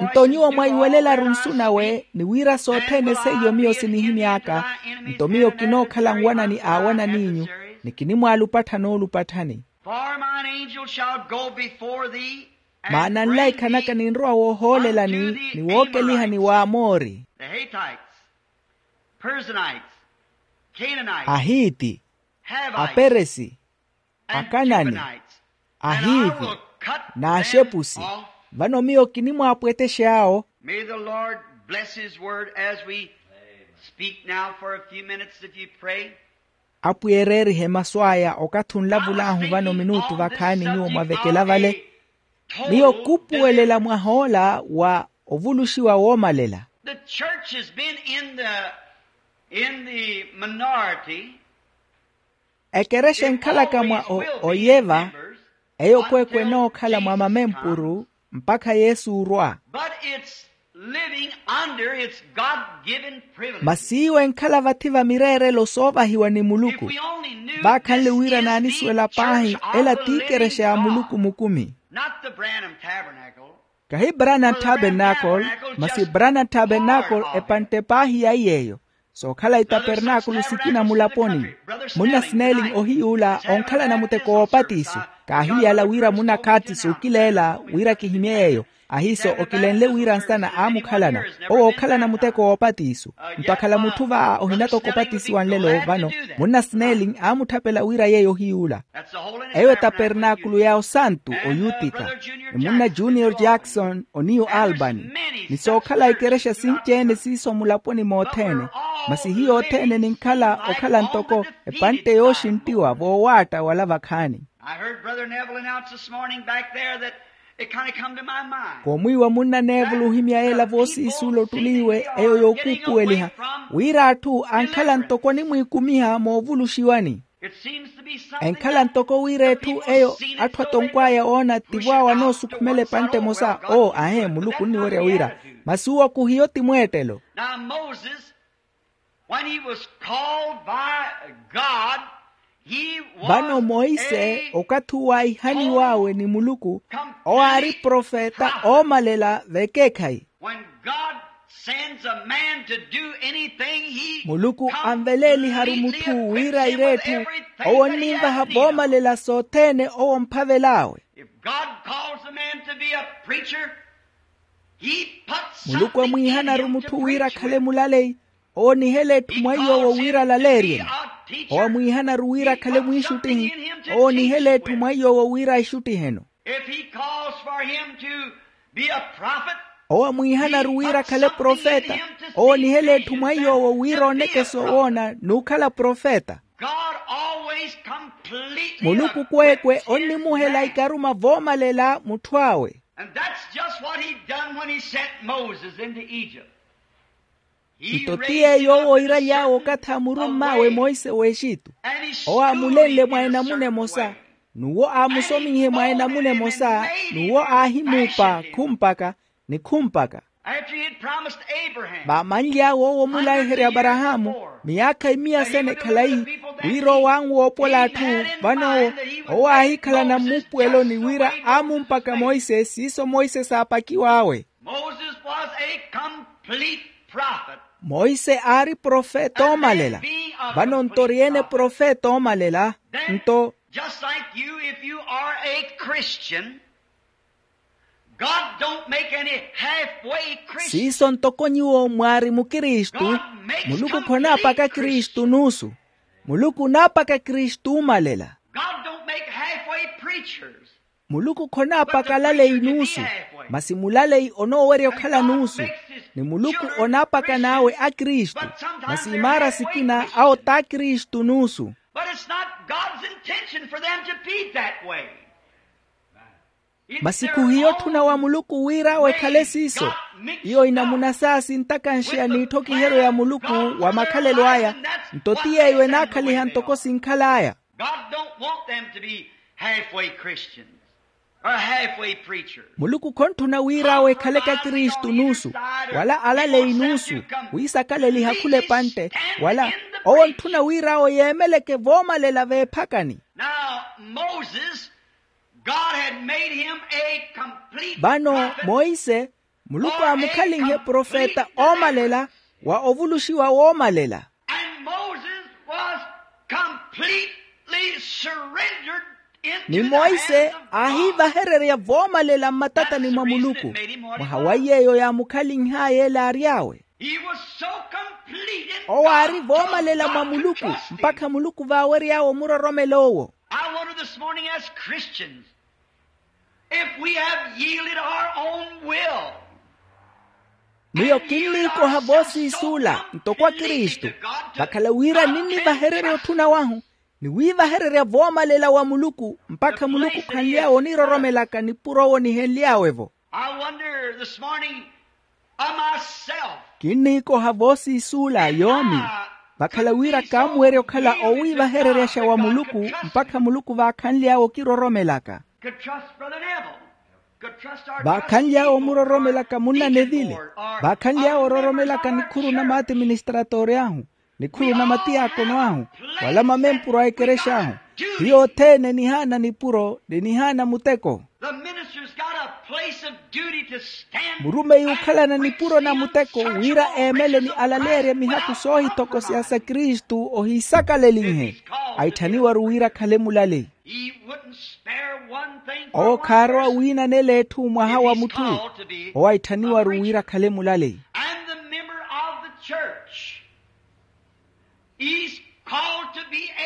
Nto nyuwo mwaiwelelaru nsu nawe ni wira sothene seiyo miyo sinihimy'aka, nto miyo kinookhala nwanani a awanan'inyu, ni kinimwaalupatthana oolupatthani. Maana nlaikha naka ninrowa woohoolelani ni wookelihani w'amoori, Perizonites, Canaanites, ahiiti, Hivites, aperesi, akanani, ahivi, n'axepusi. Vano miyo kinimwaapwetex'awo. May the Lord bless his word as we speak now for a few minutes, if you pray. Apwiya ereerihe masu aya okathi onlavul'ahu vano minutu vakhaani nyuwo mwavekela vale. Miyo kuupuwelela mwah'ola wa ovuluxiwa woomalela. The church has been in the, in the minority. Ekerexa enkhalaka mwa oyeva, eyo kwekwe enookhala mwa mamempuru mpakha yesu orwa. But it's living under its God-given privilege. Masi iwo enkhala vathi va mireerelo soovahiwa ni muluku. Vaakhanle wira naanisuwela paahi ela ti ikerexa ya muluku mukumi. Not the Branham Tabernacle. Kahi branham tabernacle, masi branham tabernacle epantte paahi ya iy'eyo. Sookhala itapernaakulu sikina mulaponi. Munna sineling ohiy'ula onkhalana muteko woopatiso. Kaahiyala wira munna khatsi sookileela wira kihimye yeeyo. Ahiiso okilenle wira nsana aamukhalana owo ookhalana muteko woopatiso. Nto akhala mutthu va ohinatoko opatisiwa nlelo vano. Munna sineling aamutthapela wira yeeyo ohiy'ula. Eyo etapernaakulu ya osantu oyutika. Ni munna junior jackson oniyu albany. Ni sookhala ikerexa sinci-ene siiso mulaponi mothene. Masi hiyo othene ninkhala okhala ntoko epantte yooxinttiwa voowaatta wala vakhaani. I heard Brother Neville announce this morning back there that it kind of come to my mind. Koomwiiwa munna neville ohimya yeela voosiisuula ottuli iwe eyo yookuupuweliha wira atthu ankhala ntoko onimwiikumiha moovuluxiwani. Enkhala ntoko wira etthu eyo atthu atonkw'aya oona tivo awo anoosukhumela epantte emosa oo ahe muluku onniwerya wira masi uwo kuhiyo ti mweettelo. Now moses, when he was called by god, he was vano moise a okathi uwo aihaniw'awe ni muluku owo aari profeta oomalela vekeekhayi. When god sends a man to do anything, he muluku anveleeliharu mutthu wira ireetthe owo onninvaha voomalela sothene owo omphavel'awe. If god calls a man to be a preacher, he puts muluku amwiihanaru mutthu wira akhale mulaleyi owo onihela etthu mwa iy'owo wira alaleerye. Owo amwiihanaru wira akhale mwiixuttihi owo onihela etthu mwa iy'owo wira aixuttiheno. If he calls for him to be a prophet, owo amwiihanaru wira akhale profeta owo onihela etthu mwa iy'owo wira oonekesa owoona n'ukhala profeta. God always completely muluku kweekwe onnimuhela ikaruma voomalela mutthu awe. And that's just what he done when he sent moses into egypt. Nto ti yeeyo owo oiraly'awe okathi aamurumm'awe moise w'exitu. Owo aamulenle mwa enamuna emosa n'uwo aamusomiihe mwa enamuna emosa n'uwo aahimuupa khumpaka ni khumpaka. Vamanly'awe owo omulaiherya aparahaamu miyaakha imiya sene khalayi wira owanwu woopola atthu. Vano owo owo aahikhalana mmuupuweloni wira aamumpaka moise siiso moise saapakiw'awe. Moses was a complete prophet. Moise aari profeta oomalela. Vano nto ori-ene profeta oomalela nto just like you, if you are a christian, God don't make any halfway Christian. Siiso ntoko nyuwo mwaari mukristu. Muluku khonaapaka kristu nuusu. Muluku onaapaka kristu oomalela. God don't make halfway preachers. Muluku khonaapaka alaleyi nuusu. Masi mulaleyi onoowerya okhala nuusu. Ni muluku onaapakan'awe akristu. Masi imaara sikina awo t'akristu nuusu. But it's not God's intention for them to be that way. Masi khuhiyo otthuna wa muluku wira awo ekhale siiso. Iyo inamuna saa sintakanxeya n'itthokiheryo ya muluku wa makhalelo aya. Nto ti yeeyo enaakhaliha ntoko sinkhal'aya. God don't want them to be halfway Christians or halfway preachers. Muluku khontthuna wira awo ekhaleke akristu nuusu, wala alaleyi nuusu, wiisakaleliha khula epantte, wala owo ontthuna wira awo yeemeleke voomalela veephakani. Now, Moses, God had made him a complete prophet. Vano, monse, muluku aamukhalinhe profeta oomalela, wa ovuluxiwa woomalela. And Moses was completely surrendered into the hands of God. Ni monse aahiivahererya voomalela mmatatani mwa muluku. Mwaha wa yeeyo yaamukhalinh'aya ele aary'awe. He was so complete in God. Owo aari voomalela mwa muluku, mpakha muluku vaawery'awe omuroromela owo. I wonder this morning, as Christians, if we have yielded our own will. Miyo kinniikoha voosiisuula ntoko akristu, vakhala wira ninnivahererya otthuna wahu, ni wiivahererya voomalela wa muluku, mpakha muluku khanly'awe oniroromelaka nipuro owo nihenly'awe-vo. I wonder this morning, of myself. Kinniikoha voosiisuula yoomi, vakhala wira kaamuwerya okhala owiivahereryaxa wa muluku, mpakha muluku vaakhanly'awe okiroromelaka. Could trust Brother Neville. Could trust our vaakhanly'awe omuroromelaka munna nevile. Vaakhanly'awe ororomelaka nikhuru na maatiministratoori ahu, nikhuru na matiyaakono ahu, wala mamempuru a ekerexa ahu. Hiyo othene enihaana nipuro ni enihaana muteko. The minister's got a place of duty to stand. Murumeyi okhalana nipuro na muteko wira eemele ni alaleerye mihaku soohitokosya sa kristu ohiisakalelinhe. Aitthaniwaru wira akhale mulaleyi. He wouldn't spare one thing for one person. Owo khaarowa wiinanela etthu mwaha wa mutthu. Owo aitthaniwaru wira akhale mulaleyi. And the member of the church.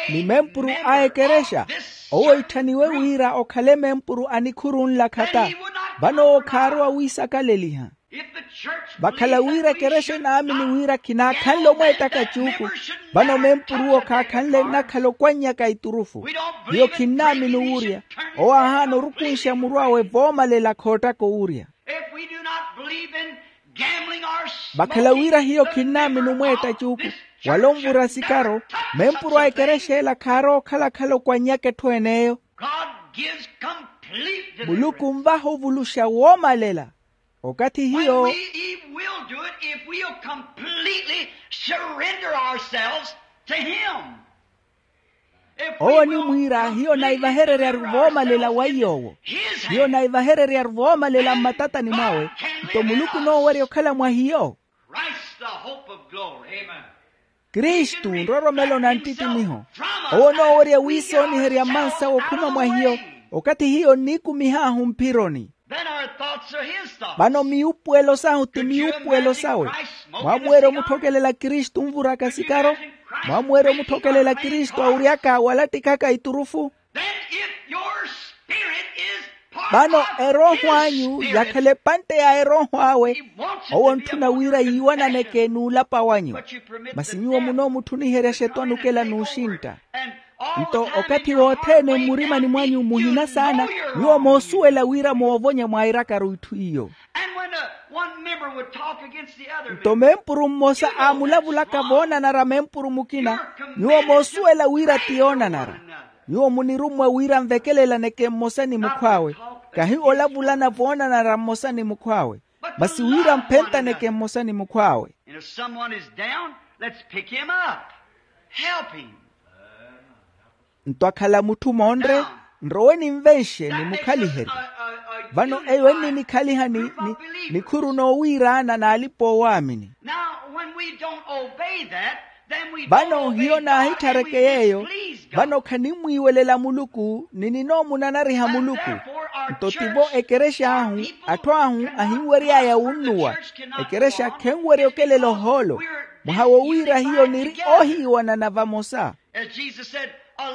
Ni mempuru a ekerexa, owo itthaniwe wira okhale mempuru a nikhuru nla khata. Vano owo khaarowa wiisakaleliha. Vakhala wira ekerexa enaamini wira khinaakhanle omweettaka cuuku, vano mempuru'wo khaakhanle nnakhala okwannyaka iturufu. Hiyo khinnaamini wuurya. Owo aahaana orukunxa muru awe voomalela khoottaka owuurya. Vakhala wira hiyo khinnaamini omweetta cuuku, wala onvura sikaro, mempuru a ekerexa ela khaarowa okhalakhala okwannyaka etthu en'eyo. Muluku onvaha ovuluxa woomalela. Okathi hiyo owo onimwiira hiyo naivahereryaru voomalela wa iy'owo. Hiyo naivahereryaru voomalela mmatatani mwawe. Nto muluku onoowerya okhala mwa hiyo. Kristu nroromelo na ntittimiho. Owo onoowerya wiisooniherya mmansawe okhuma mwa hiyo. Okathi hiyo nniikumih'ahu mphironi. Vano miwuupuwelo sahu ti miwuupuwelo sawe. Mwaamuwerya omutthokelela kristu onvuraka sikaro? Mwaamuwerya omutthokelela kristu awuryaka walattikhaka iturufu? Vano erooho anyu yakhala epantte ya erooho awe. Owo ontthuna wira yiiwananeke n'ulapa wanyu. Masi nyuwo munoomutthuniherya xetwanukela n'uxintta. Nto okathi wothene mmurimani mwanyu muhina saana. Nyuwo moosuwela wira moovonya mwairakaru itthu iyo. Nto mempuru mmosa aamulavulaka voonanara mempuru mukina. Nyuwo moosuwela wira ti yoonanara. Nyuwo munirummwa wira nvekelelaneke mmosa ni mukhw'awe. Kahi olavulana voonanara mmosa ni mukhw'awe, masi wira mphentaneke mmosa ni mukhw'awe. Nto akhala mutthu moonre, nrowe ninvenxe nimukhaliherye. Vano eyo enninikhaliha ni nikhuru noowiiraana n'alipa oowaamini. Vano hiyo naahitthareke yeeyo. Vano khanimmwiiwelela muluku ni ninoomunanariha muluku. Nto tivo ekerexa ahu, atthu ahu ahinwery'aya wunnuwa. Ekerexa khenwerya okelela ohoolo. Mwaha wowiira hiyo niri ohiiwanana vamosa.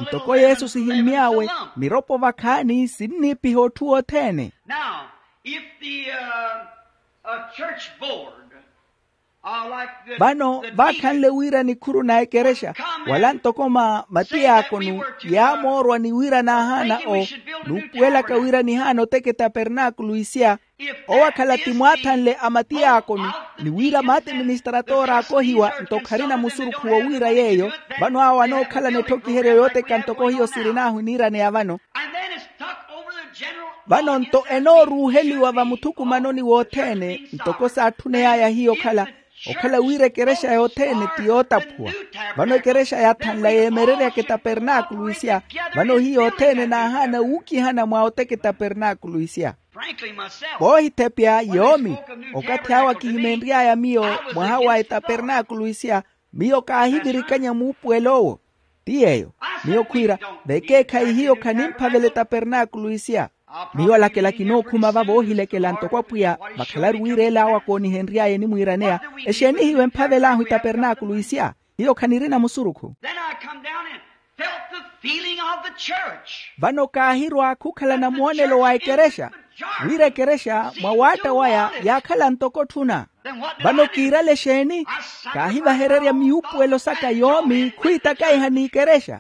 Ntoko yesu sihimmy'awe, miropo vakhaani sinniipiha otthu wothene. Now, if the uh, uh, church board uh, like the, vano the vaakhanle deacon, wira nikhuru na ekerexa wala ntoko ma matiyaakonu yaamoorwa ni wira naahaana o nuupuwelaka wira nihaana oteke tapernaakulu isiya. Owo akhala ti mwaathanle a matiyaakonu ni wira maatiministaratora aakohiwa nto kharina musurukhu wowiira yeeyo. Vano awo anookhalana etthokiheryo yooteka ntoko hiyo sirinaahu eniiraneya vano. Vano nto enooruuheliwa vamuthukumanoni wothene ntoko saatthuneyaaya hiyo okhala okhala wira ekerexa yothene ti yootaphuwa. Vano ekerexa yaathanla yeemereryaka etapernaakulu isiya. Vano hiyo othene naahaana wuukihana mwa oteka etapernaakulu isiya. Voohithepya yoomi, okathi awo akihimenry'aya miyo mwaha wa etapernaakulu isiya, miyo kaahivirikanya muupuwel'owo. Ti yeeyo, miyo khwiira, vekeekhayi hiyo khanimphavela etapernaakulu isiya. Miyo alakela kinookhuma va voohilekela ntoko apwiya vakhalaru wira ela awo akoonihenry'aya enimuwiiraneya. Exeeni hiyo emphavel'ahu etapernaakulu isiya? Hiyo khanirina musurukhu. Then I come down and felt the feeling of the church. Vano kaahirwa khukhala na moonelo wa ekerexa wira ekerexa mwa waatta waya yaakhala ntoko otthuna. Vano kiirale exeeni? Kaahivahererya miyuupuwelo saka yoomi khwiitakaiha n'ikerexa.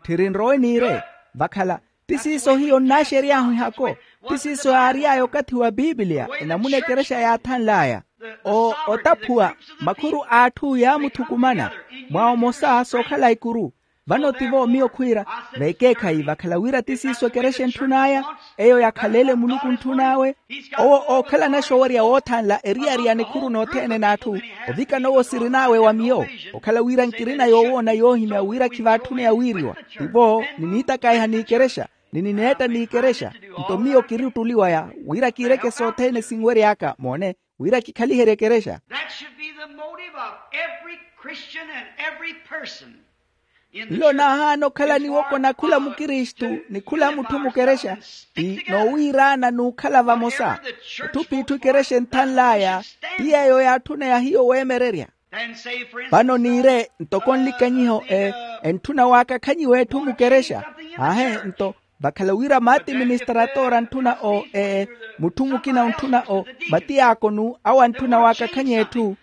Tthiri nrowe niire vakhala ti siiso hiyo nnaaxery'ahu ehako. Ti siiso yaary'aya okathi wa pipiliya enamuna ekerexa yaathanl'aya. O otaphuwa makhuru a atthu yaamuthukumana mwa omosa sookhala ikuru. Vano tivo miyo khwiira vekeekhayi vakhala wira ti siiso ekerexa entthun'aya. Eyo yakhaleele muluku ntthun'awe. Owo ookhalana xoowerya woothanla eriyari ya nikhuru nothene n'atthu ovikana owo sirin'awe wa miyo. Okhala wira nkirina yoowoona yoohimya wira khivaatthune yawiiriwa tivo niniitakaiha n'ikerexa ni nineetta n'ikerexa. Nto miyo kiri ottuli waya wira kiireke sothene sinwery'aka moone wira kikhaliherye ekerexa. That should be the motive of every Christian and every person. Nlo naahaana okhala niwokona khula mukristu ni khula mutthu mukerexa. Ti noowiiraana n'ukhala vamosa. Etthu p'itthu ekerexa enthanl'aya ti yeeyo yaatthuneya hiyo weemererya. Vano niire ntoko nlikanyiho entthuna waakakhanyiwa etthu mukerexa. Aahe nto vakhala wira maatiministaratora antthuna o mutthu mukina ontthuna o matiyaakonu awo antthuna waakakhanya etthu.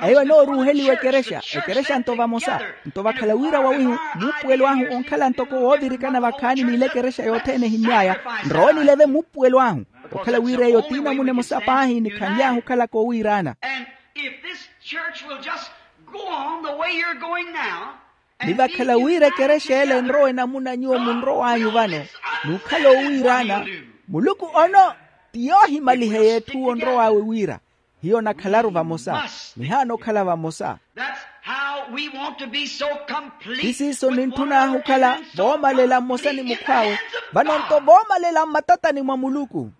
Eyo enooruuheliwa ekerexa ekerexa nto vamosa. Nto vakhala wira wawihu muupuwelo ahu onkhala ntoko woovirikana vakhaani n'ile ekerexa yothene ehimmy'aya. Nrowe nileve muupuwelo ahu okhala wira eyo t'inamuna emosa paahi nikhanly'ahu okhalaka owiiraana. And if this church will just go on the way you're going now, ni vakhala wira ekerexa ele enrowa enamuna nyuwo munrow'anyu vano n'ukhala owiiraana, muluku ono ti yoohimaliheya etthu onrow'awe wira hiyo onakhalaru vamosa. Nihaana okhala vamosa. That's how we want to be so complete. Ti siiso nintthun'ahu okhala voomalela mmosa ni mukhw'awe. Vano nto voomalela mmatatani mwa muluku.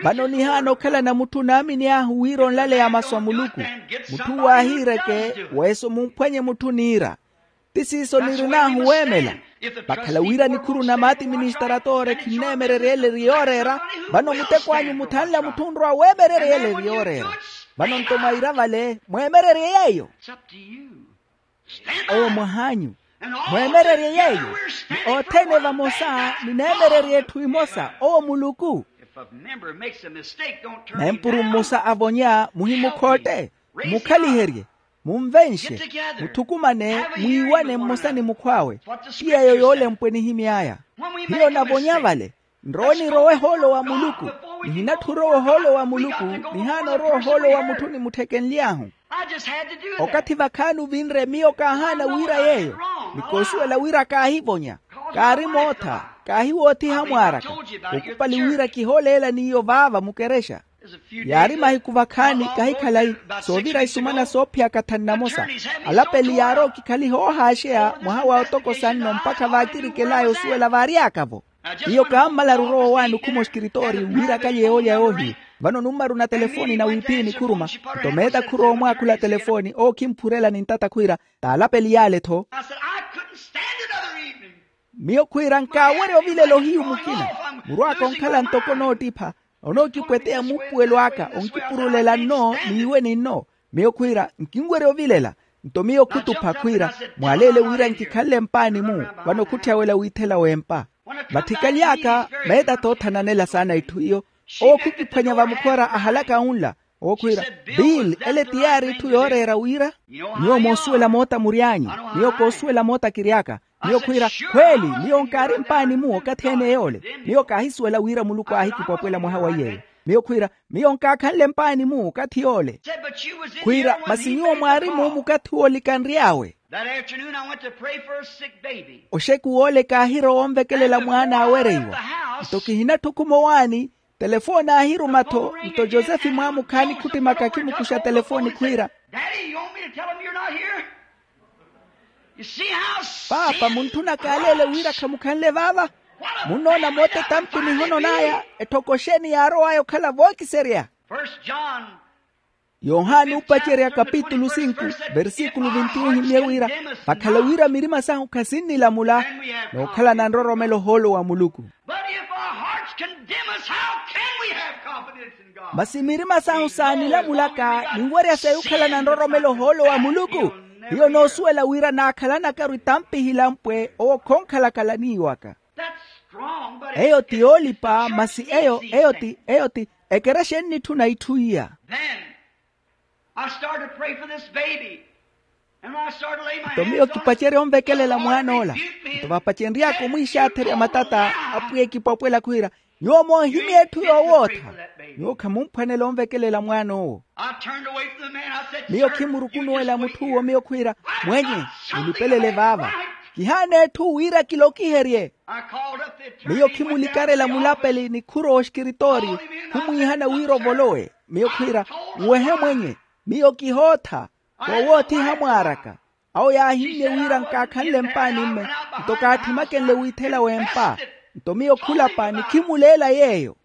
Vano nihaana okhalana mutthu onaamini ahu wira onlaleya masu a muluku. Mutthu waahiireke weeso mumphwanye mutthu oniira. Ti siiso nirin'ahu weemela. Vakhala wira nikhuru na maatiministaratora khinneemererya ele eri yooreera. Vano muteko anyu muthanla mutthu onrowa weemererya ele eri yooreera. Vano nto mwaira vale mweemererye yeeyo. Owo mwah'anyu mweemererye yeeyo. Ni othene vamosa nineemererye etthu emosa owo muluku. Nempuru mmosa avonya muhimukhootte. Mukhaliherye. Munvenxe. Muthukumane mwiiwane mmosa ni mukhw'awe. Ti yeeyo yoolempwe nihimy'aya. Hiyo navonya vale nrowe nirowe ohoolo wa muluku. Nihinatthi orowa ohoolo wa muluku. Nihaana orowa ohoolo wa mutthu nimutthekenly'ahu. Okathi vakhaani ovinre miyo kaahaana wira yeeyo. Ni koosuwela wira kaahivonya. Kaari mootha. Kaahiwoothiha mwaaraka. Okupali wira kihooleela n'iyo vaava mukerexa. Yaari mahiku vakhaani kahikhalayi soovira isumana soophiyaka thanu namosa. Alapeli yaari okikhaliha oohaaxeya mwaha wa otokosa nno mpakha vaakirikel'aya osuwela vaary'aka-vo. Iyo kaammalaru orowa owaani okhuma oskiritoori wira akalye yoolya yoohiyu. Vano nummaruna telefoni na wiiphiyi nikhuruma. Nto meeta khurowa omwaakhula telefoni owo khimphurela ni ntata khwiira t'alapeli y'ale-tho. Miyo khwiira nkaawerya ovilela ohiyu mukina. Muru aka onkhala ntoko noottipha, onookipweteya muupuwelo aka onkipurulela nno. N'iwe ninno. Miyo khwiira nkinwerya ovilela. Nto miyo khutupha khwiira, mwaleele wira nkikhanle mpaani-mu. Vano khutthyawela wiithela w'empa. Vatthikaly'aka meetatta oothananela saana itthu iyo. Owo khukiphwanya vamukhora ahalaka unla. Owo khwiira, bill ele ti yaari itthu yooreera wira. Nyuwo moosuwela moota mury'anyu. Miyo koosuwela moota kiry'aka. Miyo khwiira, khweeli. Miyo nkaari mpaani-mu okathi ene yoole. Miyo kaahisuwela wira muluku aahikipwapwela mwaha wa iyeeyo. Miyo khwiira, miyo nkaakhanle mpaani-mu okathi yoole. Khwiira, masi nyuwo mwaari-mu mukathi woolika nry'awe. That afternoon I went to pray for a sick baby. Oxeku woole kaahirowa onvekelela mwaana aawereiwa. Nto kihinatthukhuma owaani, telefooni aahiruma-tho. Nto josefe mwaamukhaani khuttimaka khimukuxa telefooni khwiira, Daddy, you want me to tell him you're not here? You see how paapa munthuna kaaleele wira khamukhanle vaava. Munnoona moota etampi mihono n'aya. Etthoko xeeni yaarow'aya okhala vookiserya? First John. Yohani oopacerya kapitulu sinku, versíkulu vinti ohimye wira, vakhala wira mirima sahu khasinnilamula, nookhalana nroromelo ohoolo wa muluku. But if our hearts condemn us, how can we have confidence in God? Masi mirima sahu saanilamulaka ninwerya seyukhalana nroromelo ohoolo wa muluku. Hiyo noosuwela wira naakhalanakaru itampihila mpwe owo khoonkhalakhala n'iwaka. Eyo ti yoolipa masi eyo eyo ti eyo ti ekerexa ennitthuna itthu iya. Then I started to pray for this baby. And when I started to lay my hands on it, nto miyo kipacerya onvekelela mwaan'ola. Nto vapacenry'aka omwiixaatherya matata, apwiya ekipwapwela khwiira, nyuwo moohimya etthu yoowootha. Nyuwo khamumphwanela onvekelela mwaan'owo. I turned away from the man. I said, miyo khimurukunuwela mutth'uwo miyo khwiira, mwenye, mulipelele vaava. Kihaana etthu wira kilokiherye. Miyo khimulikarela mulapeli ni khurowa oxikiritooriyo, khumwiihana wira ovolowe. Miyo khwiira, nwehe mwenye. Miyo kihootha. Koowoothiha mwaaraka. Awo yaahimmye wira nkaakhanle mpaani-mme. Nto kaatthimakenle wiithela w'empa. Nto miyo khulapa nikhimuleela yeeyo.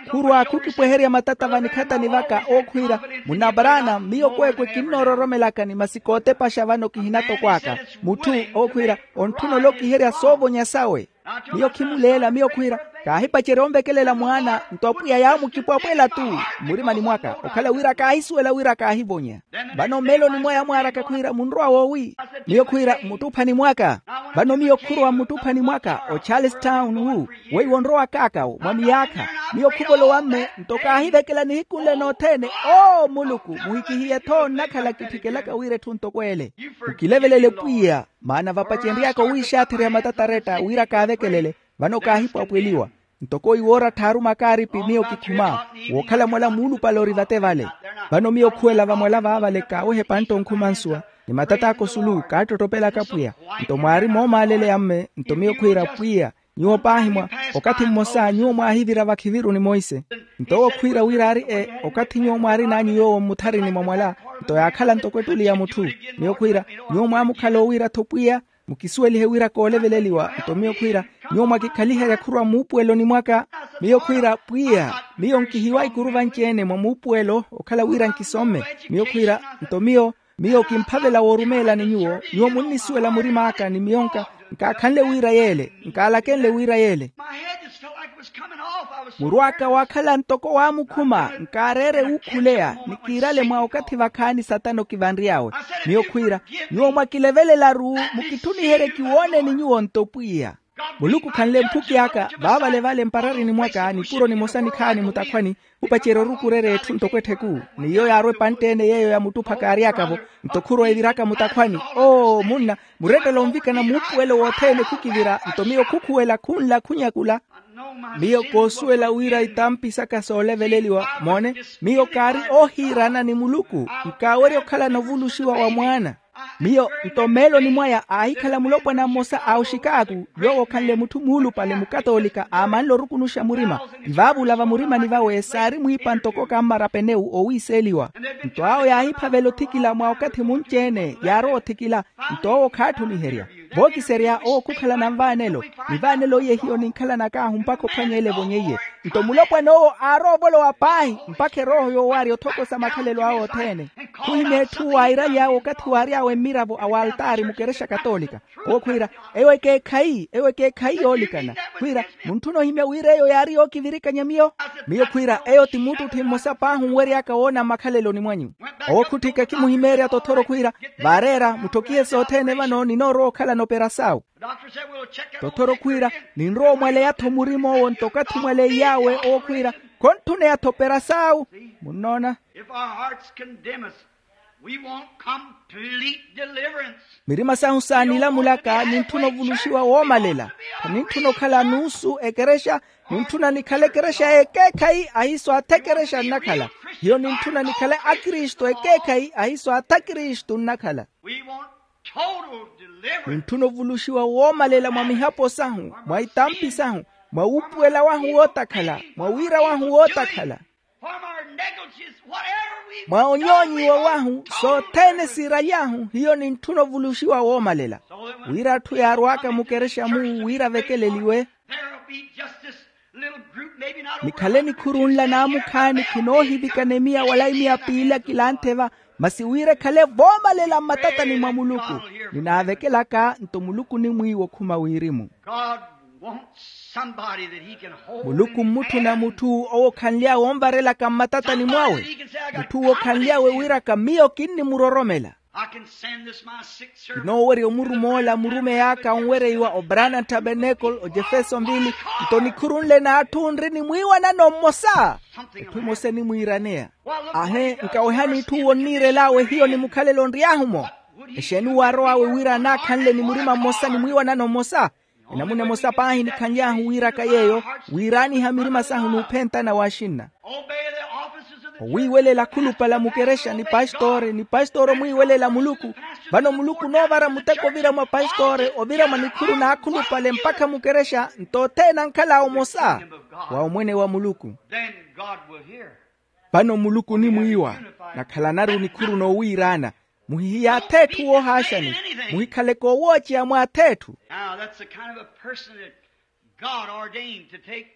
Khurwa khukipweherya matata vanikhatani vaka ookhwiira, munna brana miyo kweekwe kinnoororomelakani masi kootepaxa vano kihinatokw'aka. Mutthu ookhwiira, ontthuna olokiherya soovonya sawe. Miyo khimuleela miyo khwiira, kaahipacerya onvekelela mwaana nto apwiya yaamukipwapwela-tu. Mmurimani mwaka okhala wira kaahisuwela wira kaahivonya. Vano mmeeloni mwaya mwaaraka khwiira munrowa woowi? Miyo khwiira mmuttuphani mwaka. Vano miyo khurowa mmuttuphani mwaka ocharlestown wu weiwo onrowa kaakawo mwa miyaakha. Miyo khuvolowa mme nto kaahivekela nihiku nle nothene. Oo muluku, muhikihiye-tho nnakhala kitthikelaka wira etthu ntoko ele. Mukilevelele pwiya. Maana vapacenry'aka owiixaathereya matataretta wira kaavekelele. Vano kaahipwapweliwa. Ntoko iwoorattha aruma kaaripi miyo kikhuma. Wookhala mwala muulupale ori vate vale. Vano miyo khuwela vamwala vaavale kaaweha epantta onkhumansuwa. Ni matat'aka osulu kaattottopelaka pwiya. Nto mwaari moomaaleleya mme nto miyo khwiira pwiya, nyuwo paahi mwa okathi mmosa nyuwo mwaahivira vakhiviru ni monse. Nto owo khwiira wira aari e okathi nyuwo mwaarin'anyu yoowo mmutharini mwa mwala. Nto yaakhala ntoko ettuli ya mutthu. Miyo khwiira, nyuwo mwaamukhala owiira-tho pwiya, mukisuwelihe wira kooleveleliwa. Nto miyo khwiira, nyuwo mwakikhaliherya khurwa muupuweloni mwaka. Miyo khwiira, pwiya, miyo nkihiwa ikuru vanci-ene mwa muupuwelo okhala wira nkisomme. Miyo khwiira, nto miyo miyo kimphavela woorumeelani nyuwo. Nyuwo munnisuwela murim'aka ni miyo nka nkaakhanle wira yeele, nkaalakenle wira yeele. Muru aka waakhala ntoko waamukhuma, nkaareere wuukhuleya ni kiirale mwa okathi vakhaani satana okivanry'awe. Miyo khwiira, nyuwo mwakilevelela-ru, mukitthuniherye kiwooneni nyuwo nto pwiya. Muluku khanle mphuki aka vaavale vale mpararini mwaka nipuro nimosa nikhaani mutakhwani. Khupacerya orukurerya etthu ntoko ettheku. Ni iyo yaarwa epantte-ene yeeyo ya muttupha kaary'aka-vo. Nto khurowa eviraka mutakhwani. Oo munna, murettela onvikana muupuwelo wothene khukivira nto miyo khukhuwela khunla khunyakula. Miyo koosuwela wira itampi saka sooleveleliwa moone. Miyo kaari oohiirana ni muluku. Nkaawerya okhalana ovuluxiwa wa mwaana. Miyo nto mmeeloni mwaya aahikhala mulopwana mmosa a oxikaaku, yoowo okhanle mutthu muulupale mukatoolika aamanle orukunuxa murima. Ivaavula vamurimani vawe saari mwiipa ntoko kammara penewu oowiiseeliwa. Nto awo yaahiphavela othikila mwa okathi munci-ene yaarowa othikila. Nto owo khaatthumiherya. Vookiserya owo khukhalana nvaanelo. Nivaanelo iye hiyo ninkhalanak'ahu mpakha ophwanya ele evonyeiye. Nto mulopwana owo aaroovolowa paahi mpakha erooho yoowarya othokosa makhalelo awe othene. Khuhimya etthu waairaly'awe okathi waary'awe mmiravo a waltaari mukerexa katoolika. Owo khwiira, eyo ekeekhayi eyo ekeekhayi yoolikana. Khwiira, muntthuna ohimya wira eyo yaari yookivirikanya miyo. Miyo khwiira eyo ti muttutthi mmosa paahi onwery'aka woona mmakhaleloni mwanyu. Owo khutthika kimuhimeerya tothoro khwiira, vaareera mutthokihe sothene vano ninoorowa okhalana operasaawu. Tothoro khwiira, ninrowa omwaleya-tho murim'owo nto okathi omwaleiy'awe owo khwiira, khontthuneya-tho operasaawu. Munnoona? If our hearts condemn us, we want complete deliverance. Mirima sahu saanilamulaka nintthuna ovuluxiwa woomalela. Khanintthuno okhala nuusu ekerexa. Nintthuna nikhale ekerexa y'ekeekhayi ahiiso atha ekerexa nnakhala. Hiyo nintthuna nikhale akristu ekeekhayi ahiiso atha kristu nnakhala. We want total deliverance. Nintthuna ovuluxiwa woomalela mwa mihapo sahu, mwa itampi sahu, mwa wuupuwela wahu wootakhala, mwa wira wahu wootakhala. From our negligence, whatever we've mwa onyoonyiwa wahu sothene siiraly'ahu. Hiyo nintthuna ovuluxiwa woomalela. Wira atthu yaarw'aka mukerexa-mu wira avekeleliwe. There'll be just this little group, maybe not over nikhale nikhuru nla naamukhaani khinoohivikana emiya wala imiya piili akilanthe-va. Masi wira ekhale voomalela mmatatani mwa muluku. Ninaavekelaka nto muluku onimwiiwa okhuma wirimu. God wants somebody that he can hold muluku in his mmutthuna hand. Mutthu owo okhanly'awe onvarelaka mmatatani mwawe. Mutthu owo okhanly'awe wiiraka miyo kinnimuroromela. I can send this my sick servant. Kinoowerya omurum'ola murumeyi aka onwereiwa obrana tabernacle ojefeso nvili. Nto nikhuru nle n'atthu nri ni mwiiwanano mmosa. Etthu emosa enimwiiraneya. Ahe, nkawehani itthu owo onniirel'awe hiyo ni mukhalelo nry'ahu-mo. Exeeni waarow'awe wira anaakhanle ni murima mmosa ni mwiiwanano mmosa? Enamuna emosa paahi nikhanly'ahu wiiraka yeeyo, wiiraaniha mirima sahu n'uphentana w'axinna. Owiiwelela akhulupale a mukerexa ni pastori ni pastori omwiiwelela muluku. Vano muluku onoovara muteko ovira mwa pastori ovira mwa nikhuru n'akhulupale mpakha mukerexa nto othene ankhala omosa wa omwene wa muluku. Then God will hear. Vano muluku onimwiiwa. Nakhalanaru nikhuru noowiiraana. Muhihiyaathe etthu woohaaxani. Muhikhaleke owooceya mwaathi etthu. Now that's the kind of a person that God ordained to take.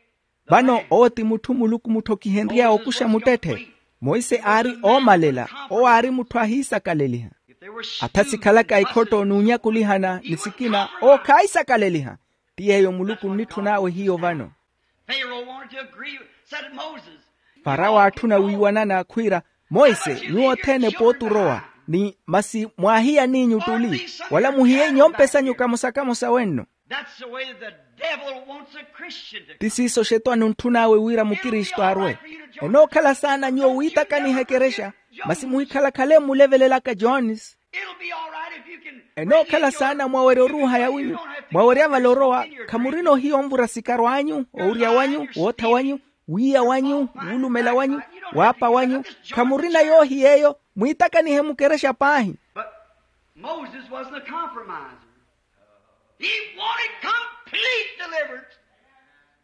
Vano owo ti mutthu muluku mutthokihenry'awe okuxa muttetthe. Monse aari oomalela. Owo aari mutthu ahiisakaleliha. Atha sikhalaka ikhotto n'unyakulihana ni sikina owo khaahisakaleliha. Ti yeeyo muluku onnitthun'awe hiyo vano. Pharaoh wanted to agree, said Moses. Farawo aatthuna wiiwanana khwiira, monse, nyuwo othene pooti orowa. Ni masi mwaahiya n'inyu ttuli, wala muhiye inyompe sanyu kamosa-kamosa wenno. That's the way the devil wants a Christian to. Ti siiso oxetwani ontthun'awe wira mukristu arwe. Enookhala saana nyuwo wiitakaniha ekerexa, masi muhikhalakhale mmulevelelaka jones. Enookhala saana mwawerya oruuha ya winyu. Mwawerya vale orowa. Khamurina ohiya onvura sikaro anyu, owurya wanyu, wootha wanyu, wiiya wanyu, wuulumela wanyu, waapa wanyu. Khamurina yoohiya eyo. Mwiitakanihe mukerexa paahi. But Moses wasn't a compromiser. He wanted complete deliverance.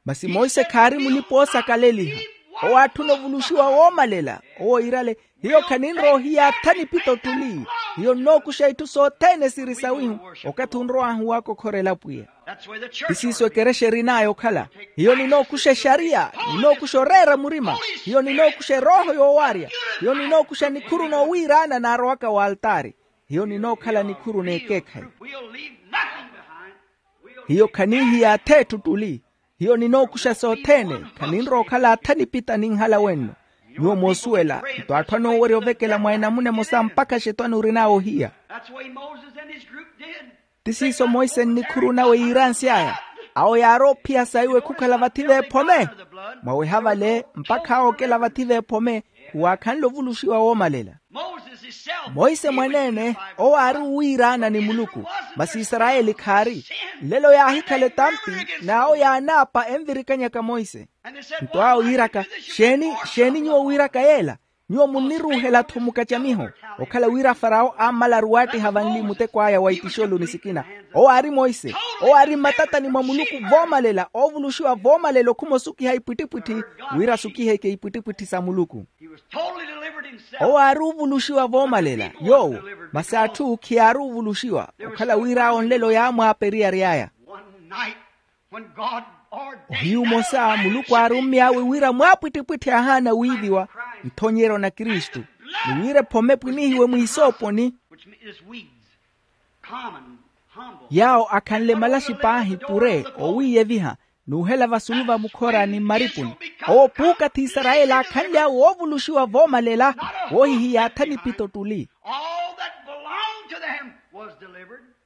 Masi monse khaari mulipa oosakaleliha. Owo aatthuna ovuluxiwa woomalela. Owo iirale, hiyo khaninrowa ohiyaatha nipito ttuli. Hiyo nnookuxa itthu sothene siri sawihu. Okathi onrow'ahu waakokhorela pwiya. Ti siiso ekerexa erin'aya okhala. Hiyo ninookuxa exariya. Ninookuxa oreera murima. Hiyo ninookuxa erooho yoowarya. Hiyo ninookuxa nikhuru noowiiraana naarowaka w'altaari. Hiyo ninookhala nikhuru n'ekeekhayi. Hiyo khaniihiyaatha etthu ttuli. Hiyo ninookuxa sothene. Khaninrowa okhala atha nipita ninhala wenno. Nyuwo moosuwela nto atthu anoowerya ovekela mwa enamuna emosa mpakha axetwani orin'awe ohiya. Ti siiso monse nnikhuru nawe yiiransy'aya. Awo yaari ophiya saiwe khukhala vathi veephome. Mwaweha vale mpakha awo okela vathi veephome. Khuwaakhanle ovuluxiwa woomalela. Monse mwaneene owo aari owiiraana ni muluku. Masi isarayeli khaari. Nlelo yaahikhala etampi. N'awo yaanaapa envirikanyaka monse. Nto awo yiiraka, xeeni xeeni nyuwo wiiraka yeela? Nyuwo munniruuhela-tho mukacamiho. Okhala wira farawo ammalaru waattiha vanli muteko aya wa itixoloni sikina. Owo aari monse. Owo aari mmatatani mwa muluku voomalela oovuluxiwa voomalela okhuma osukiha ipwittipwitthi. Wira asukiheke ipwittipwitthi sa muluku. Owo aari ovuluxiwa voomalela yoowo. Masi atthu khiyaari ovuluxiwa. Okhala wira awo nlelo yaamwaaperiyary'aya. Ohiyu omosa muluku aarummy'awe wira mwaapwittipwitthi ahaana wiiviwa. Nthonyeryo na kristu. Ni wira ephome epwinihiwe mwiisooponi. Yaawo akhanle malaxi paahi pure owiiyeviha n'uhela vasulu va mukhora ni mmaripuni. Owo puukathi isarayeli aakhanly'awe woovuluxiwa voomalela. Woohihiyaatha nipito ttuli.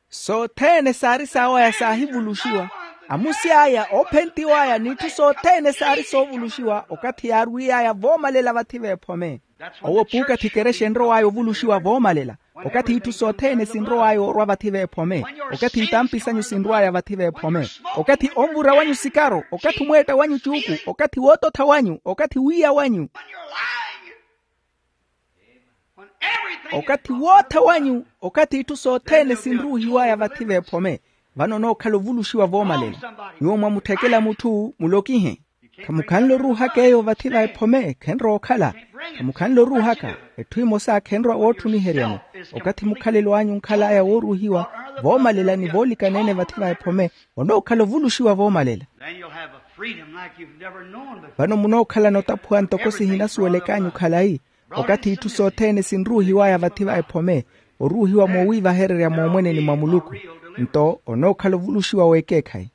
Sothene saari saawaya saahivuluxiwa. Amusi aya oophentiw'aya n'itthu sothene saari soovuluxiwa okathi yaarwiy'aya voomalela vathi v'ephome. Owo puukathi ekerexa enrow'aya ovuluxiwa voomalela. Okathi itthu sothene sinrow'aya orwa vathi v'ephome. Okathi itampi sanyu sinrw'aya vathi v'ephome. Okathi onvura wanyu sikaro, okathi omweetta wanyu cuuku, okathi woototha wanyu, okathi wiiya wanyu, okathi wootha wanyu, okathi itthu sothene sinruuhiw'aya vathi v'ephome. Vano onookhala ovuluxiwa voomalela. Nyuwo mwamutthekela mutthu mulokihe. Khamukhanle oruuhaka eyo vathi va ephome khenrowa okhala. Khamukhanle oruuhaka. Etthu emosa khenrowa wootthuniheryani. Okathi mukhalelo anyu onkhal'aya wooruuhiwa voomalela ni voolikana-ene vathi va ephome, onookhala ovuluxiwa voomalela. Vano munookhalana otaphuwa ntoko sihinasuwelek'anyu khalayi. Okathi itthu sothene sinruuhiw'aya vathi va ephome, oruuhiwa moowiivahererya moomweneni mwa muluku. Nto onookhala ovuluxiwa w'ekeekhayi.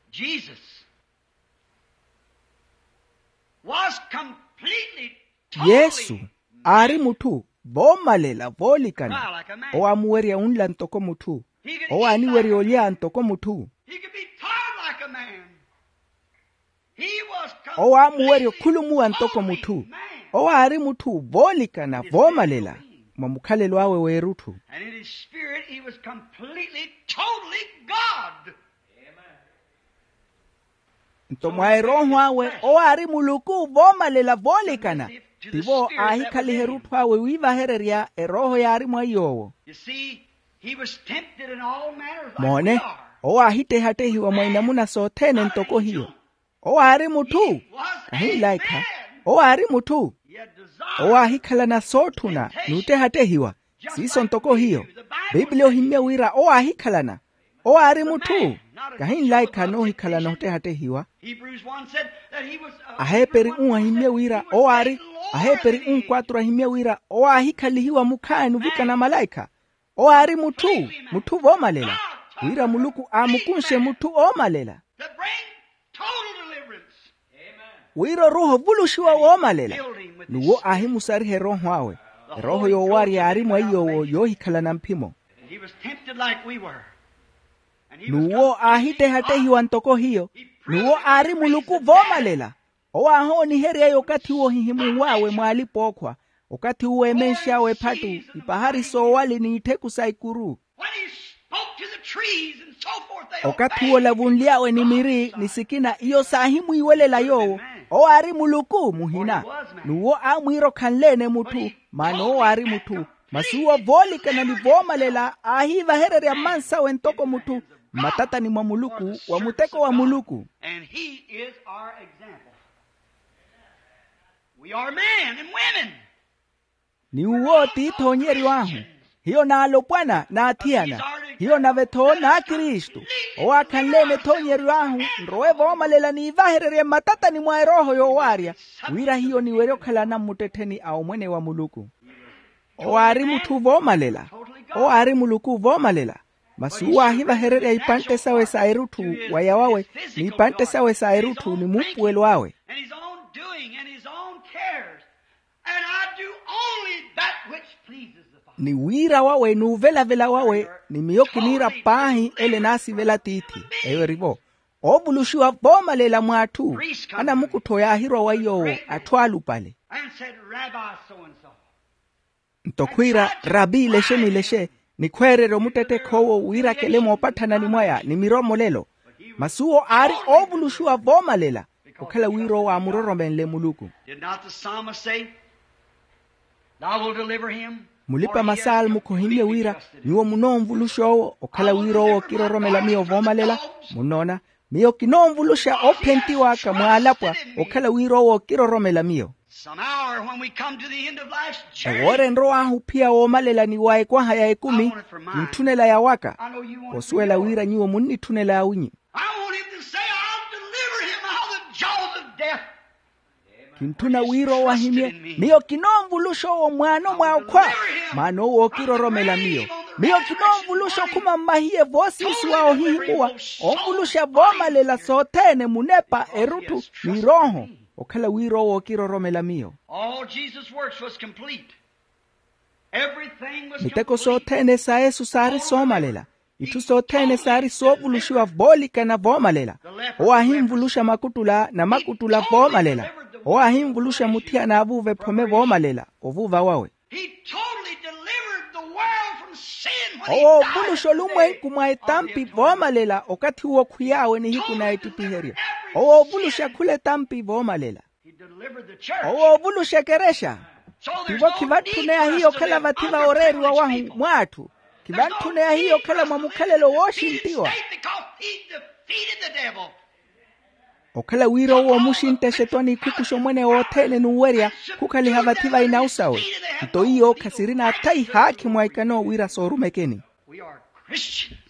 Yesu aari mutthu voomalela voolikana. Owo aamuwerya onla ntoko mutthu. Owo aaniwerya olya ntoko mutthu. Owo aamuwerya okhulumuwa ntoko mutthu. Owo aari mutthu voolikana voomalela mwa mukhalelo awe w'erutthu. Nto mwa erooho awe owo aari muluku voomalela voolikana. Tivo aahikhaliha erutthu awe wiivahererya erooho yaari mwa iy'owo. Moone, owo aahittehattehiwa mwa inamuna sothene ntoko hiyo. Owo aari mutthu. Kahi nlaikha. Owo aari mutthu. Owo aahikhalana sootthuna n'uttehattehiwa. Siiso ntoko hiyo. Pipiliya ohimmya wira owo aahikhalana. Owo aari mutthu. Kahi nlaikha noohikhalana ottehattehiwa. Aheeperi un ahimmye wira owo aari aheeperi un kwatru ahimmye wira owo aahikhalihiwa mukhaani ovikana malaikha. Owo aari mutthu. Mutthu voomalela. Wira muluku aamukunxe mutthu oomalela. Wira oruuha ovuluxiwa woomalela. N'uwo aahimusariha erooho awe. Erooho yoowarya yaari mwa iy'owo yoohikhalana mphimo. N'uwo aahittehattehiwa ntoko hiyo. N'uwo aari muluku voomalela. Owo aahoonihery'aya okathi woohihimunw'awe mw'alipa-ookhwa. Okathi uwo emenx'awe ephattu ipahari soowali n'ittheku sa ikuru. Okathi uwo olavunly'awe ni miri ni sikina iyo saahimwiiwelela yoowo. Owo aari muluku muhina. N'uwo aamwiira okhanle-ene mutthu. Maana owo aari mutthu. Masi uwo voolikana ni voomalela aahiivahererya mmansawe ntoko mutthu mmatatani mwa muluku wa muteko wa muluku. We are men and women. Ni uwo t'ithoonyeryo ahu. Hiyo n'alopwana n'athiyana. Hiyo nave-tho n'akristu. Owo aakhanle-ene ethoonyeryo ahu. Nrowe voomalela niivahererye mmatatani mwa erooho yoowarya. Wira hiyo niwerye okhala anammuttettheni a omwene wa muluku. Owo aari mutthu voomalela. Owo aari muluku voomalela. Masi uwo aahivahererya ipantte sawe sa erutthu waya wawe, n'ipantte sawe sa erutthu ni muupuwelo awe. Ni wiira wawe n'uvelavela wawe. Ni miyo kiniira paahi ele enaasivela tiithi. Eyo eri-vo oovuluxiwa voomalela mw'atthu. Anamukuttho yaahirwa wa iy'owo atthu alupale. Nto khwiira rabi ilexe n'ilexe, nikhweererye omuttettekha owo wiirakele moopathanani mwaya ni miromolelo. Masi uwo aari oovuluxiwa voomalela. Okhala wira owo aamuroromenle muluku. Mulipa masaal mukhohimmye wira nyuwo munoonvuluxa owo okhala wira owo okiroromela miyo voomalela. Munnoona, miyo kinoonvuluxa oophentiw'aka mwaalapwa okhala wira owo okiroromela miyo. Some hour when we come to the end of life's journey, ewoora enrow'ahu ophiya woomalela ni wa ekwaha ya ekumi kintthunela yawaka. Osuwela wira nyuwo munnitthunela awinyu. I want him to say, I'll deliver him out of the jaws of death. Kintthuna wira owo ahimye, miyo kinoonvuluxa owo mwaano mwa okhwa. Maana owo okiroromela miyo. Miyo kinoonvuluxa okhuma mmahiye voosiisiwa ohihimuwa, onvuluxa voomalela sothene, munepa, erutthu, ni erooho. Okhala wira owo okiroromela miyo. All Jesus' works was complete. Everything was miteko completely sothene sa yesu saari soomalela. Itthu sothene saari soovuluxiwa voolikana voomalela. Owo ahinvuluxa makuttula na makuttula voomalela. Owo ahinvuluxa muthiyana aavuuva ephome voomalela ovuuva wawe. He totally delivered the world from sin when he owo died ovuluxa olumwenku mwa etampi voomalela okathi uwo okhwiy'awe nihiku na ettipiheryo. Owo ovuluxa khula etampi voomalela. He delivered the church. Owo ovuluxa ekerexa. So there's tivo no khivantthune ahiyo okhala vathi va oreeriwa wahu mwa atthu. Khivantthune ahiyo okhala mwa mukhalelo wooxinttiwa. He stayed because he defeated the devil. Okhala wira owo omuxintte exetwani ikhukuxa omwene wothene n'uwerya khukhaliha vathi va inawu sawe. Nto iyo khasirina atha ihaakhi mwa ikano wira soorumekeni. We are Christians.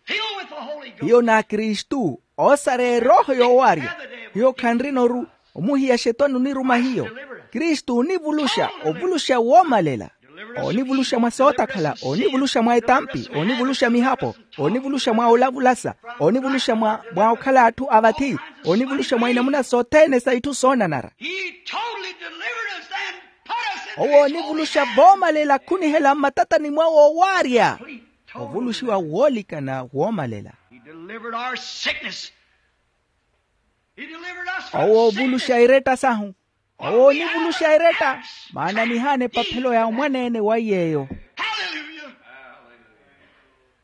Filled with the Holy Ghost. Hiyo n'akristu oosareya erooho yoowaarya. Hiyo khanrina oru omuhiya xetwani oniruma hiyo. Kristu onivuluxa ovuluxa woomalela. Onivuluxa mwa sootakhala, onivuluxa mwa etampi, onivuluxa mihapo, onivuluxa mwa olavulasa, onivuluxa mwa mwa okhala atthu a vathi, onivuluxa mwa inamuna sothene sa itthu soonanara. He totally delivered us and put us in his holy hand. Owo onivuluxa voomalela khunihela mmatatani mwawe owaarya. Ovuluxiwa woolikana woomalela. He delivered our sickness. He delivered us from sickness. Owo ovuluxa eretta sahu. Owo onivuluxa eretta. Maana nihaana epaphelo ya omwaneene wa iy'eyo. Hallelujah.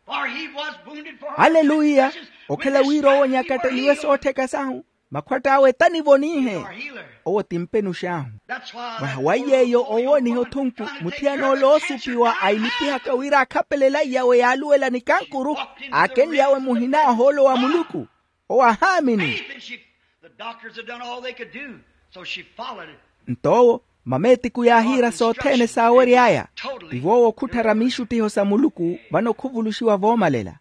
For he was wounded for our transgressions. Haleluya. Okhala wira owo onyakatteliwe soottheka sahu, makhwatt'awe tanivonihe. Owo ti mpenux'ahu. Mwaha wa iy'eyo owooniha othunku, muthiyana ole oosupiwa ailipihaka wira akhapelele aiyawe yaaluwela nikankuru, aakenly'awe muhina ohoolo wa muluku. Owo ahaamini. Nto owo, mameetiku yaahiira sothene saawery'aya. Tivo owo khutthara miixuttiho sa muluku vano khuvuluxiwa voomalela.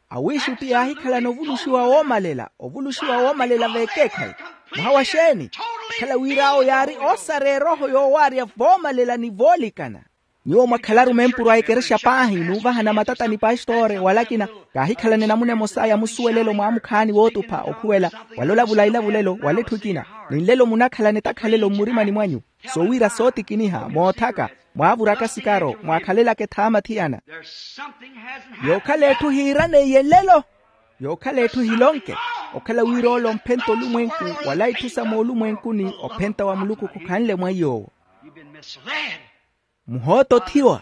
Awiixutti yaahikhalana ovuluxiwa woomalela ovuluxiwa woomalela veekeekhayi. Mwaha wa xeeni? Okhala wira awo yaari oosareya erooho yoowaarya voomalela ni voolikana. Nyuwo mwakhalaru mempuru a ekerexa paahi n'uvahana matata ni pastori wala akina. Kaahikhalana enamuna emosa ya musuwelelo mwaamukhaani wootupha okhuwela wala olavula ilavulelo wala etthu ekina. Ni nlelo munakhalana etakhalelo mmurimani mwanyu, soowiira sootikiniha moothaka, mwaavuraka sikaro mwaakhalelaka ethaama thiyana. Yookhala etthu hiiraneiye nlelo. Yookhala etthu hilonke. Okhala wira ole omphenta olumwenku wala itthu sa moolumwenkuni ophenta wa muluku khukhanle mwa iy'owo. Muhootothiwa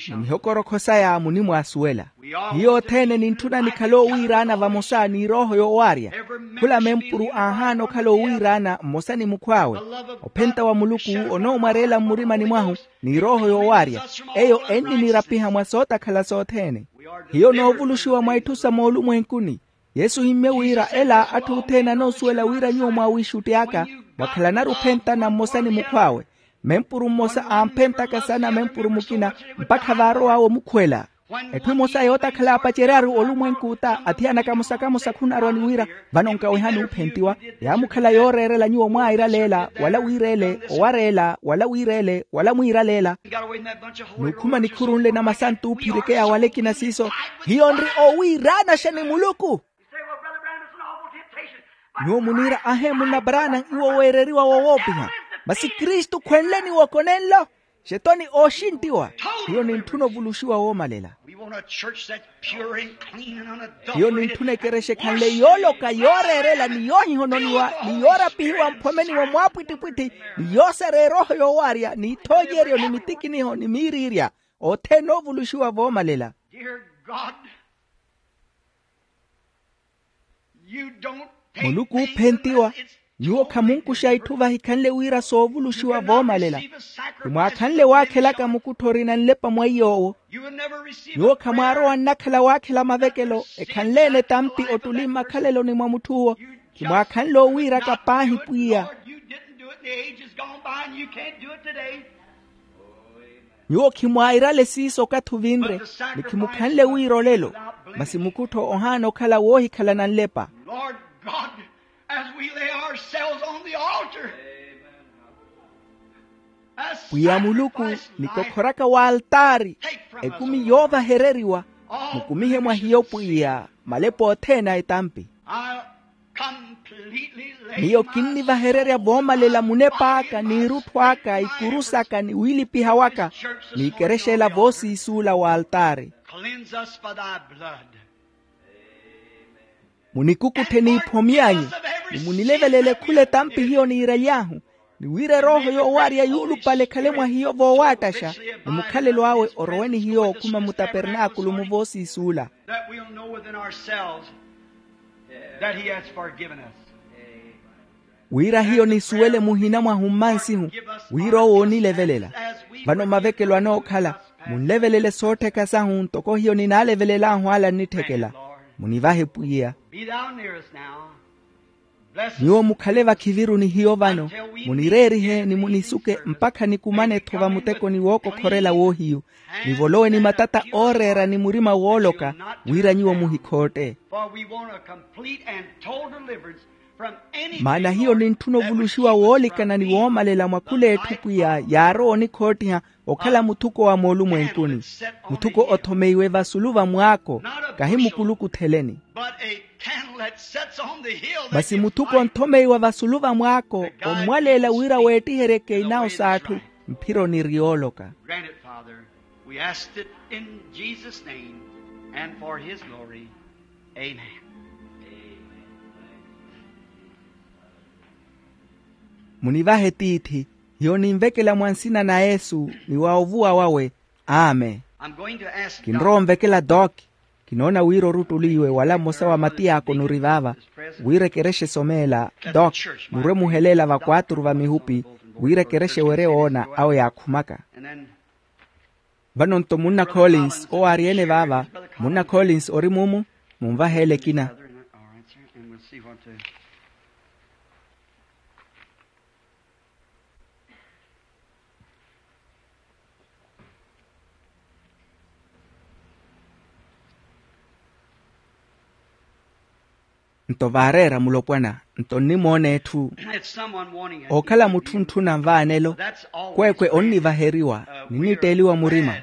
ni mihokorokho saya munimwaasuwela. Hiyo othene nintthuna nikhale oowiiraana vamosa n'irooho yoowaarya. Khula mempuru aahaana okhala oowiiraana mmosa ni mukhw'awe. Ophenta wa muluku onoomwareela mmurimani mwahu n'irooho yoowaarya. Eyo enninirapiha mwa sootakhala sothene. Hiyo noovuluxiwa mwa itthu sa moolumwenkuni. Yesu ohimmye wira ela atthu othene anoosuwela wira nyuwo mwaawiixutti aka mwakhalanaru ophentana mmosa ni mukhw'awe. Mempuru mmosa aamphentaka sana mempuru mukina mpakha vaarow'awe omukhwela. Etthu emosa yootakhala aapaceryaru olumwenku ota athiyana kamosa kamosa khunarwa ni wira vano nkawehani oophentiwa. Yaamukhala yooreerela nyuwo mwairaleela wala wiireele owareela wala wiireele wala mwiiraleela. N'ukhuma nikhuru nle na masantu oophirikeya wala ekina siiso. Hiyo nri oowiiraanaxa ni muluku. Nyuwo muniira ahe munna branham iwo weereriwa wowoopiha. Masi kristu khwenle ni woko nenlo. Xetoni ooxinttiwa. Hiyo nintthuna ovuluxiwa woomalela. Hiyo nintthuna ekerexa ekhanle yooloka yooreerela ni yoohihononiwa ni yoorapihiwa mphomeni wa mwaapwittipwitthi ni yoosareya erooho yoowaarya ni ithoonyeryo ni mitikiniho ni miiriirya. Othene oovuluxiwa voomalela. Muluku oophentiwa. Nyuwo khamunkuxa itthu vahikhanle wira soovuluxiwa voomalela. Khimwaakhanle waakhelaka mukuttho orina nlepa mwa iy'owo. Nyuwo khamwaarowa nnakhala waakhela mavekelo ekhanle-ene etampi ottuli mmakhaleloni mwa mutthu owo. Khimwaakhanle owiiraka paahi pwiya. Nyuwo khimwairale siiso okathi ovinre, ni khimukhanle wira olelo. Masi mukuttho ohaana okhala woohikhalana nlepa. Lord God, as we lay ourselves on the altar, as pwiya muluku, sacrifice ni life, kokhoraka w'altaari, take from us, ekumi O Lord, yoovahereriwa, all mukumihe mwa hiyo pwiya, malepo othene a etampi. I'll completely lay miyo my kinnivahererya soul, voomalela my munep'aka body, my n'irutthw'aka spirit, my ikuru saka ni wiilipiha waka, ni ikerexela voosiisuula w'altaari. Cleanse us by thy blood. Munikukutthe n'iphomy'anyu, ni munilevelele khula etampi hiyo niiraly'ahu, ni wira erooho yoowarya yuulupale ekhale mwa hiyo voowattaxa, ni mukhalelo awe orowe ni hiyo okhuma mutapernaakulu muvoosiisuula. That we'll know within ourselves that he has forgiven us. Wira hiyo nisuwele muhina mwahu mmansihu, wira owo oonilevelela. Vano mavekelo anookhala, munlevelele soottheka sahu ntoko hiyo ninaalevelel'ahu ala nnitthekela. Munivahe pwiya. Be thou near us now. Bless us. Nyuwo mukhale vakhiviru ni hiyo vano, munireerihe ni munisuke mpakha nikumane-tho vamutekoni wookokhorela woohiyu, nivolowe ni matata ooreera ni murima wooloka, wira nyuwo muhikhootte. For we want a complete and total deliverance from anything, maana hiyo nintthuna ovuluxiwa woolikana ni woomalela mwa khul'etthu pwiya yaarowa onikhoottiha okhala muthuko wa moolumwenkuni, muthuko othomeiwe vasulu va mwaako, kahi mukuluku otheleni. Masi muthuko onthomeiwa vasulu va mwaako, ommwaleela wira weettiheryeke inawo s'atthu, mphira oniri yooloka. Grant it, Father. We ask it in Jesus' name and for his glory. Amen. Munivahe tiithi, hiyo ninvekela mwa nsina na yesu ni wa ovuwa wawe. Amen. Kinrowa onvekela doc. Kinoona wira oruttuliwe wala mmosa wa matiy'aka onuri vaava, wira ekerexa esomeela. Doc, murwe muheleela vakwaaturu va mihupi, wira ekerexa ewerye woona awo yaakhumaka. Vano-nto munna collins owo ari-ene vaava. Munna collins ori mumu? Munvaheele ekina. Nto vaareera mulopwana, nto nnimoona etthu. Ookhala mutthu ntthuna nvaanelo. Kweekwe onnivaheriwa, ninnitteeliwa murima.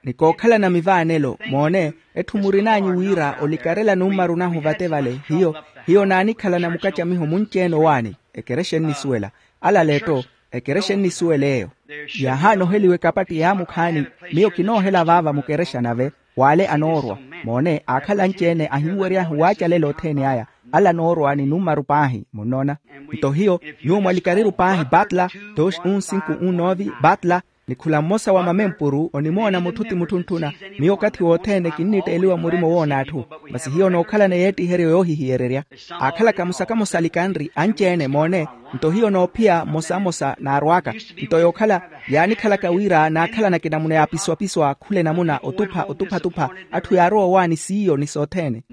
Nikookhalana mivaanelo moone, etthu murin'anyu wira olikarela nummaru nahu vate vale hiyo. Hiyo naanikhalana mukacamiho munci-ene owaani. Ekerexa ennisuwela. Ala aletto, ekerexa ennisuwela eyo. Yaahaana oheliwa ekapatti yaamukhaani. Miyo kinoohela vaava mukerexa nave. W'ale anoorwa, moone aakhala anci-ene ahinweryahu waacalela othene aya. Ala anoorwa ni nummaru paahi munnoona. Nto hiyo, nyuwo mwalikariru paahi batla, dos un sinku un novi batla, ni khula mmosa wa mamempuru onimoona mutthu ti mutthu ntthuna. Miyo okathi wothene kinnitteeliwa murima owoona atthu. Masi hiyo nookhalana yeettiheryo yoohihiyererya. Aakhalaka musa kamosa alikanri anci-ene moone. Nto hiyo noophiya mmosa mmosa naarw'aka. Nto yookhala yaanikhalaka wira naakhalana kinamuna yaapiswapiswa khula enamuna otupha otuphatupha. Atthu yaarowa owaani siiyo ni sothene.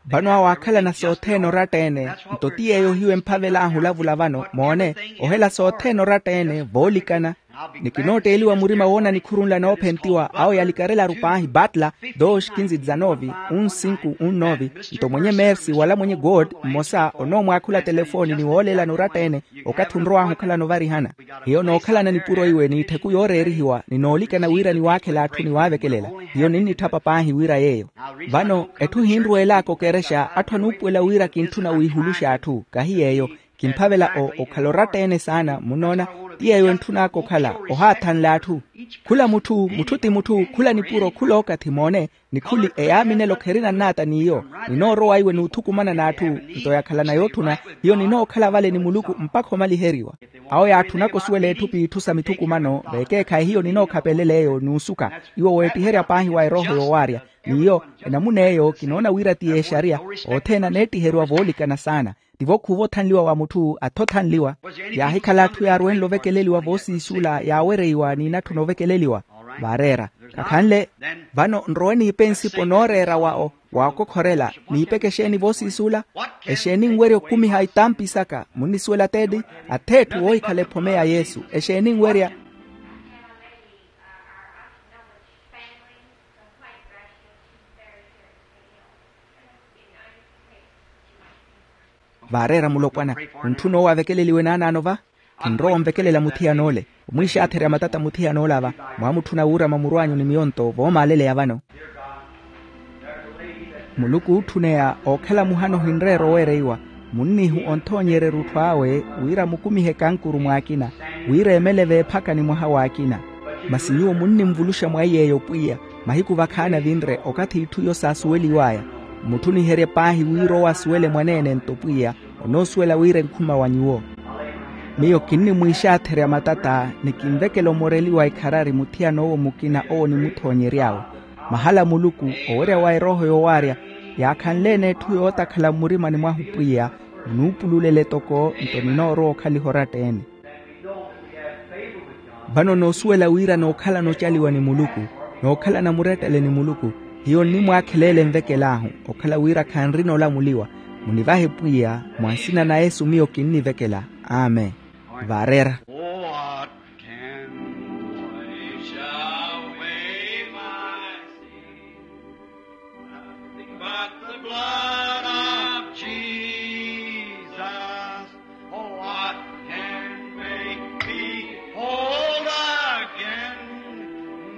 Vano awo aakhalana sothene oratta-ene. Nto ti yeeyo hiyo emphavel'ahu olavula vano moone. Ohela sothene oratta-ene voolikana. Ni kinootteeliwa murima woona nikhuru nla noophentiwa awo yalikarelaru paahi batla, dos kinzi dizanovi un sinku un novi. Nto mwenye mersi wala mwenye god mmosa onoomwaakhula telefoni ni wooleelana oratta-ene. Okathi onrow'ahu okhalana ovarihana, hiyo nookhalana nipuro iwe n'itthiku yooreerihiwa ni noolikana wira niwaakhela atthu niwaavekelela. Hiyo ninnitthapa paahi wira yeeyo. Vano etthu hinruweel'aka okerexa atthu anuupuwela wira kintthuna wiihuluxa atthu kahi yeeyo. Kimphavela o okhala oratta-ene saana munnoona. Ti yeeyo entthun'aka okhala ohaathanle atthu. Khula mutthu mutthu ti mutthu khula nipuro khula okathi moone. Ni khuli eyaaminelo kherinannaata n'iyo. Ninoorowa iwe n'uthukumana n'atthu. Nto yakhalana yootthuna, hiyo ninookhala vale ni muluku mpakha omaliheriwa. Awo yaatthunaka osuwela etthu p'itthu sa mithukumano vekeekhayi hiyo ninookhapelela eyo n'usuka. Iwo weettiherya paahi wa erooho yoowaarya. N'iyo enamuna eyo kinoona wira ti y'exariya. Othene aneettiheriwa voolikana saana. Tivo khuuva othanliwa wa mutthu atha othanliwa. Yaahikhala atthu yaarwenle ovekeleliwa voosiisula yaawereiwa n'inatthuna ovekeleliwa. Vaareera. Khakhanle. Vano nrowe niipe nsipo nooreera wa okokhorela. Niipeke exeeni voosiisula? Exeeni nwerya okumiha itampi saka munnisuwela teedi? Ath'etthu woohikhala ephome ya yesu exeeni nwerya? Vaareera mulopwana. Muntthuna owo avekeleliwe naanaano va. Kinrowa onvekelela muthiyan'ole. Omwiixaatherya matata muthiyan'ole ava. Mwaamutthuna wuurama muru anyu ni miyonto voomaaleleya vano. Muluku ootthuneya ookhala muhana ohinreera oweereiwa. Munnihu onthoonyerya erutthu awe wira mukumihe kankuru mwaakina wira emele veephaka ni mwaha w'akina. Masi nyuwo munnimvuluxa mwa iy'eyo pwiya. Mahiku vakhaani avinre okathi itthu iyo saasuweliw'aya. Mmutthuniherye paahi wira owo asuwele mwaneene-nto pwiya onoosuwela wira enkhuma wa nyuwo. Miyo kinnimwiixaatherya matata ni kinvekela omoreliwa ekharari muthiyan'owo mukina owo onimuthoonyery'awe. Mahala muluku owerya wa erooho yowaarya yaakhanle-ene etthu yootakhala mmurimani mwahu pwiya. Munuupululele toko nto ninoorowa okhaliha oratta-ene. Vano noosuwela wira nookhalana ocaliwa ni muluku nookhalana murettele ni muluku. Hiyo nnimwaakheleela envekel'ahu okhala wira khanrina olamuliwa. Munivahe pwiya mwa nsina na yesu miyo kinnivekela. Amen. Vaareera. What can wash away my sin? Nothing but the blood of Jesus. Oh, what can make me whole again?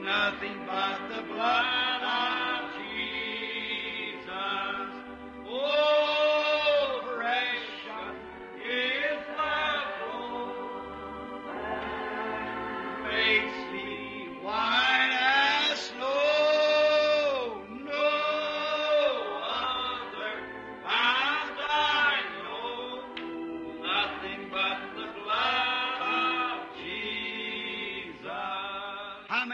Nothing but the blood of Jesus. Oh, precious is the flow that makes me white as snow. No other found I know, nothing but the blood of Jesus.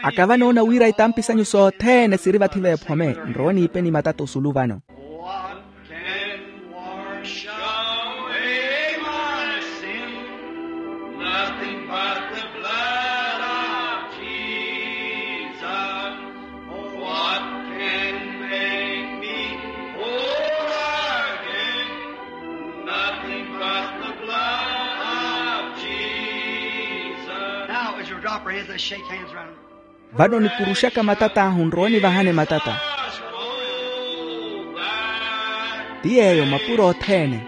Akava noona wira itampi sanyu sothene siri vathi veephome. Nrowe niipe ni matata osulu vano. What can wash away my sin? Nothing but the blood of Jesus. What can make me whole again? Nothing but the blood of Jesus. Now, as you drop your hands, let's shake hands around. Vano nikuruxaka matat'ahu nrowe nivahane matata. Ti yeeyo mapuro othene.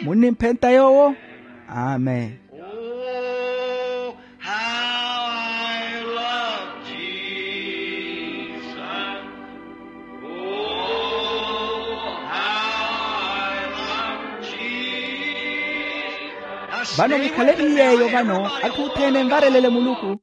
Munnimphenta yoowo? Amen. Oh, how I love Jesus. Oh, how I love Jesus. Vano mukhale ni yeeyo vano atthu othene envarelele muluku.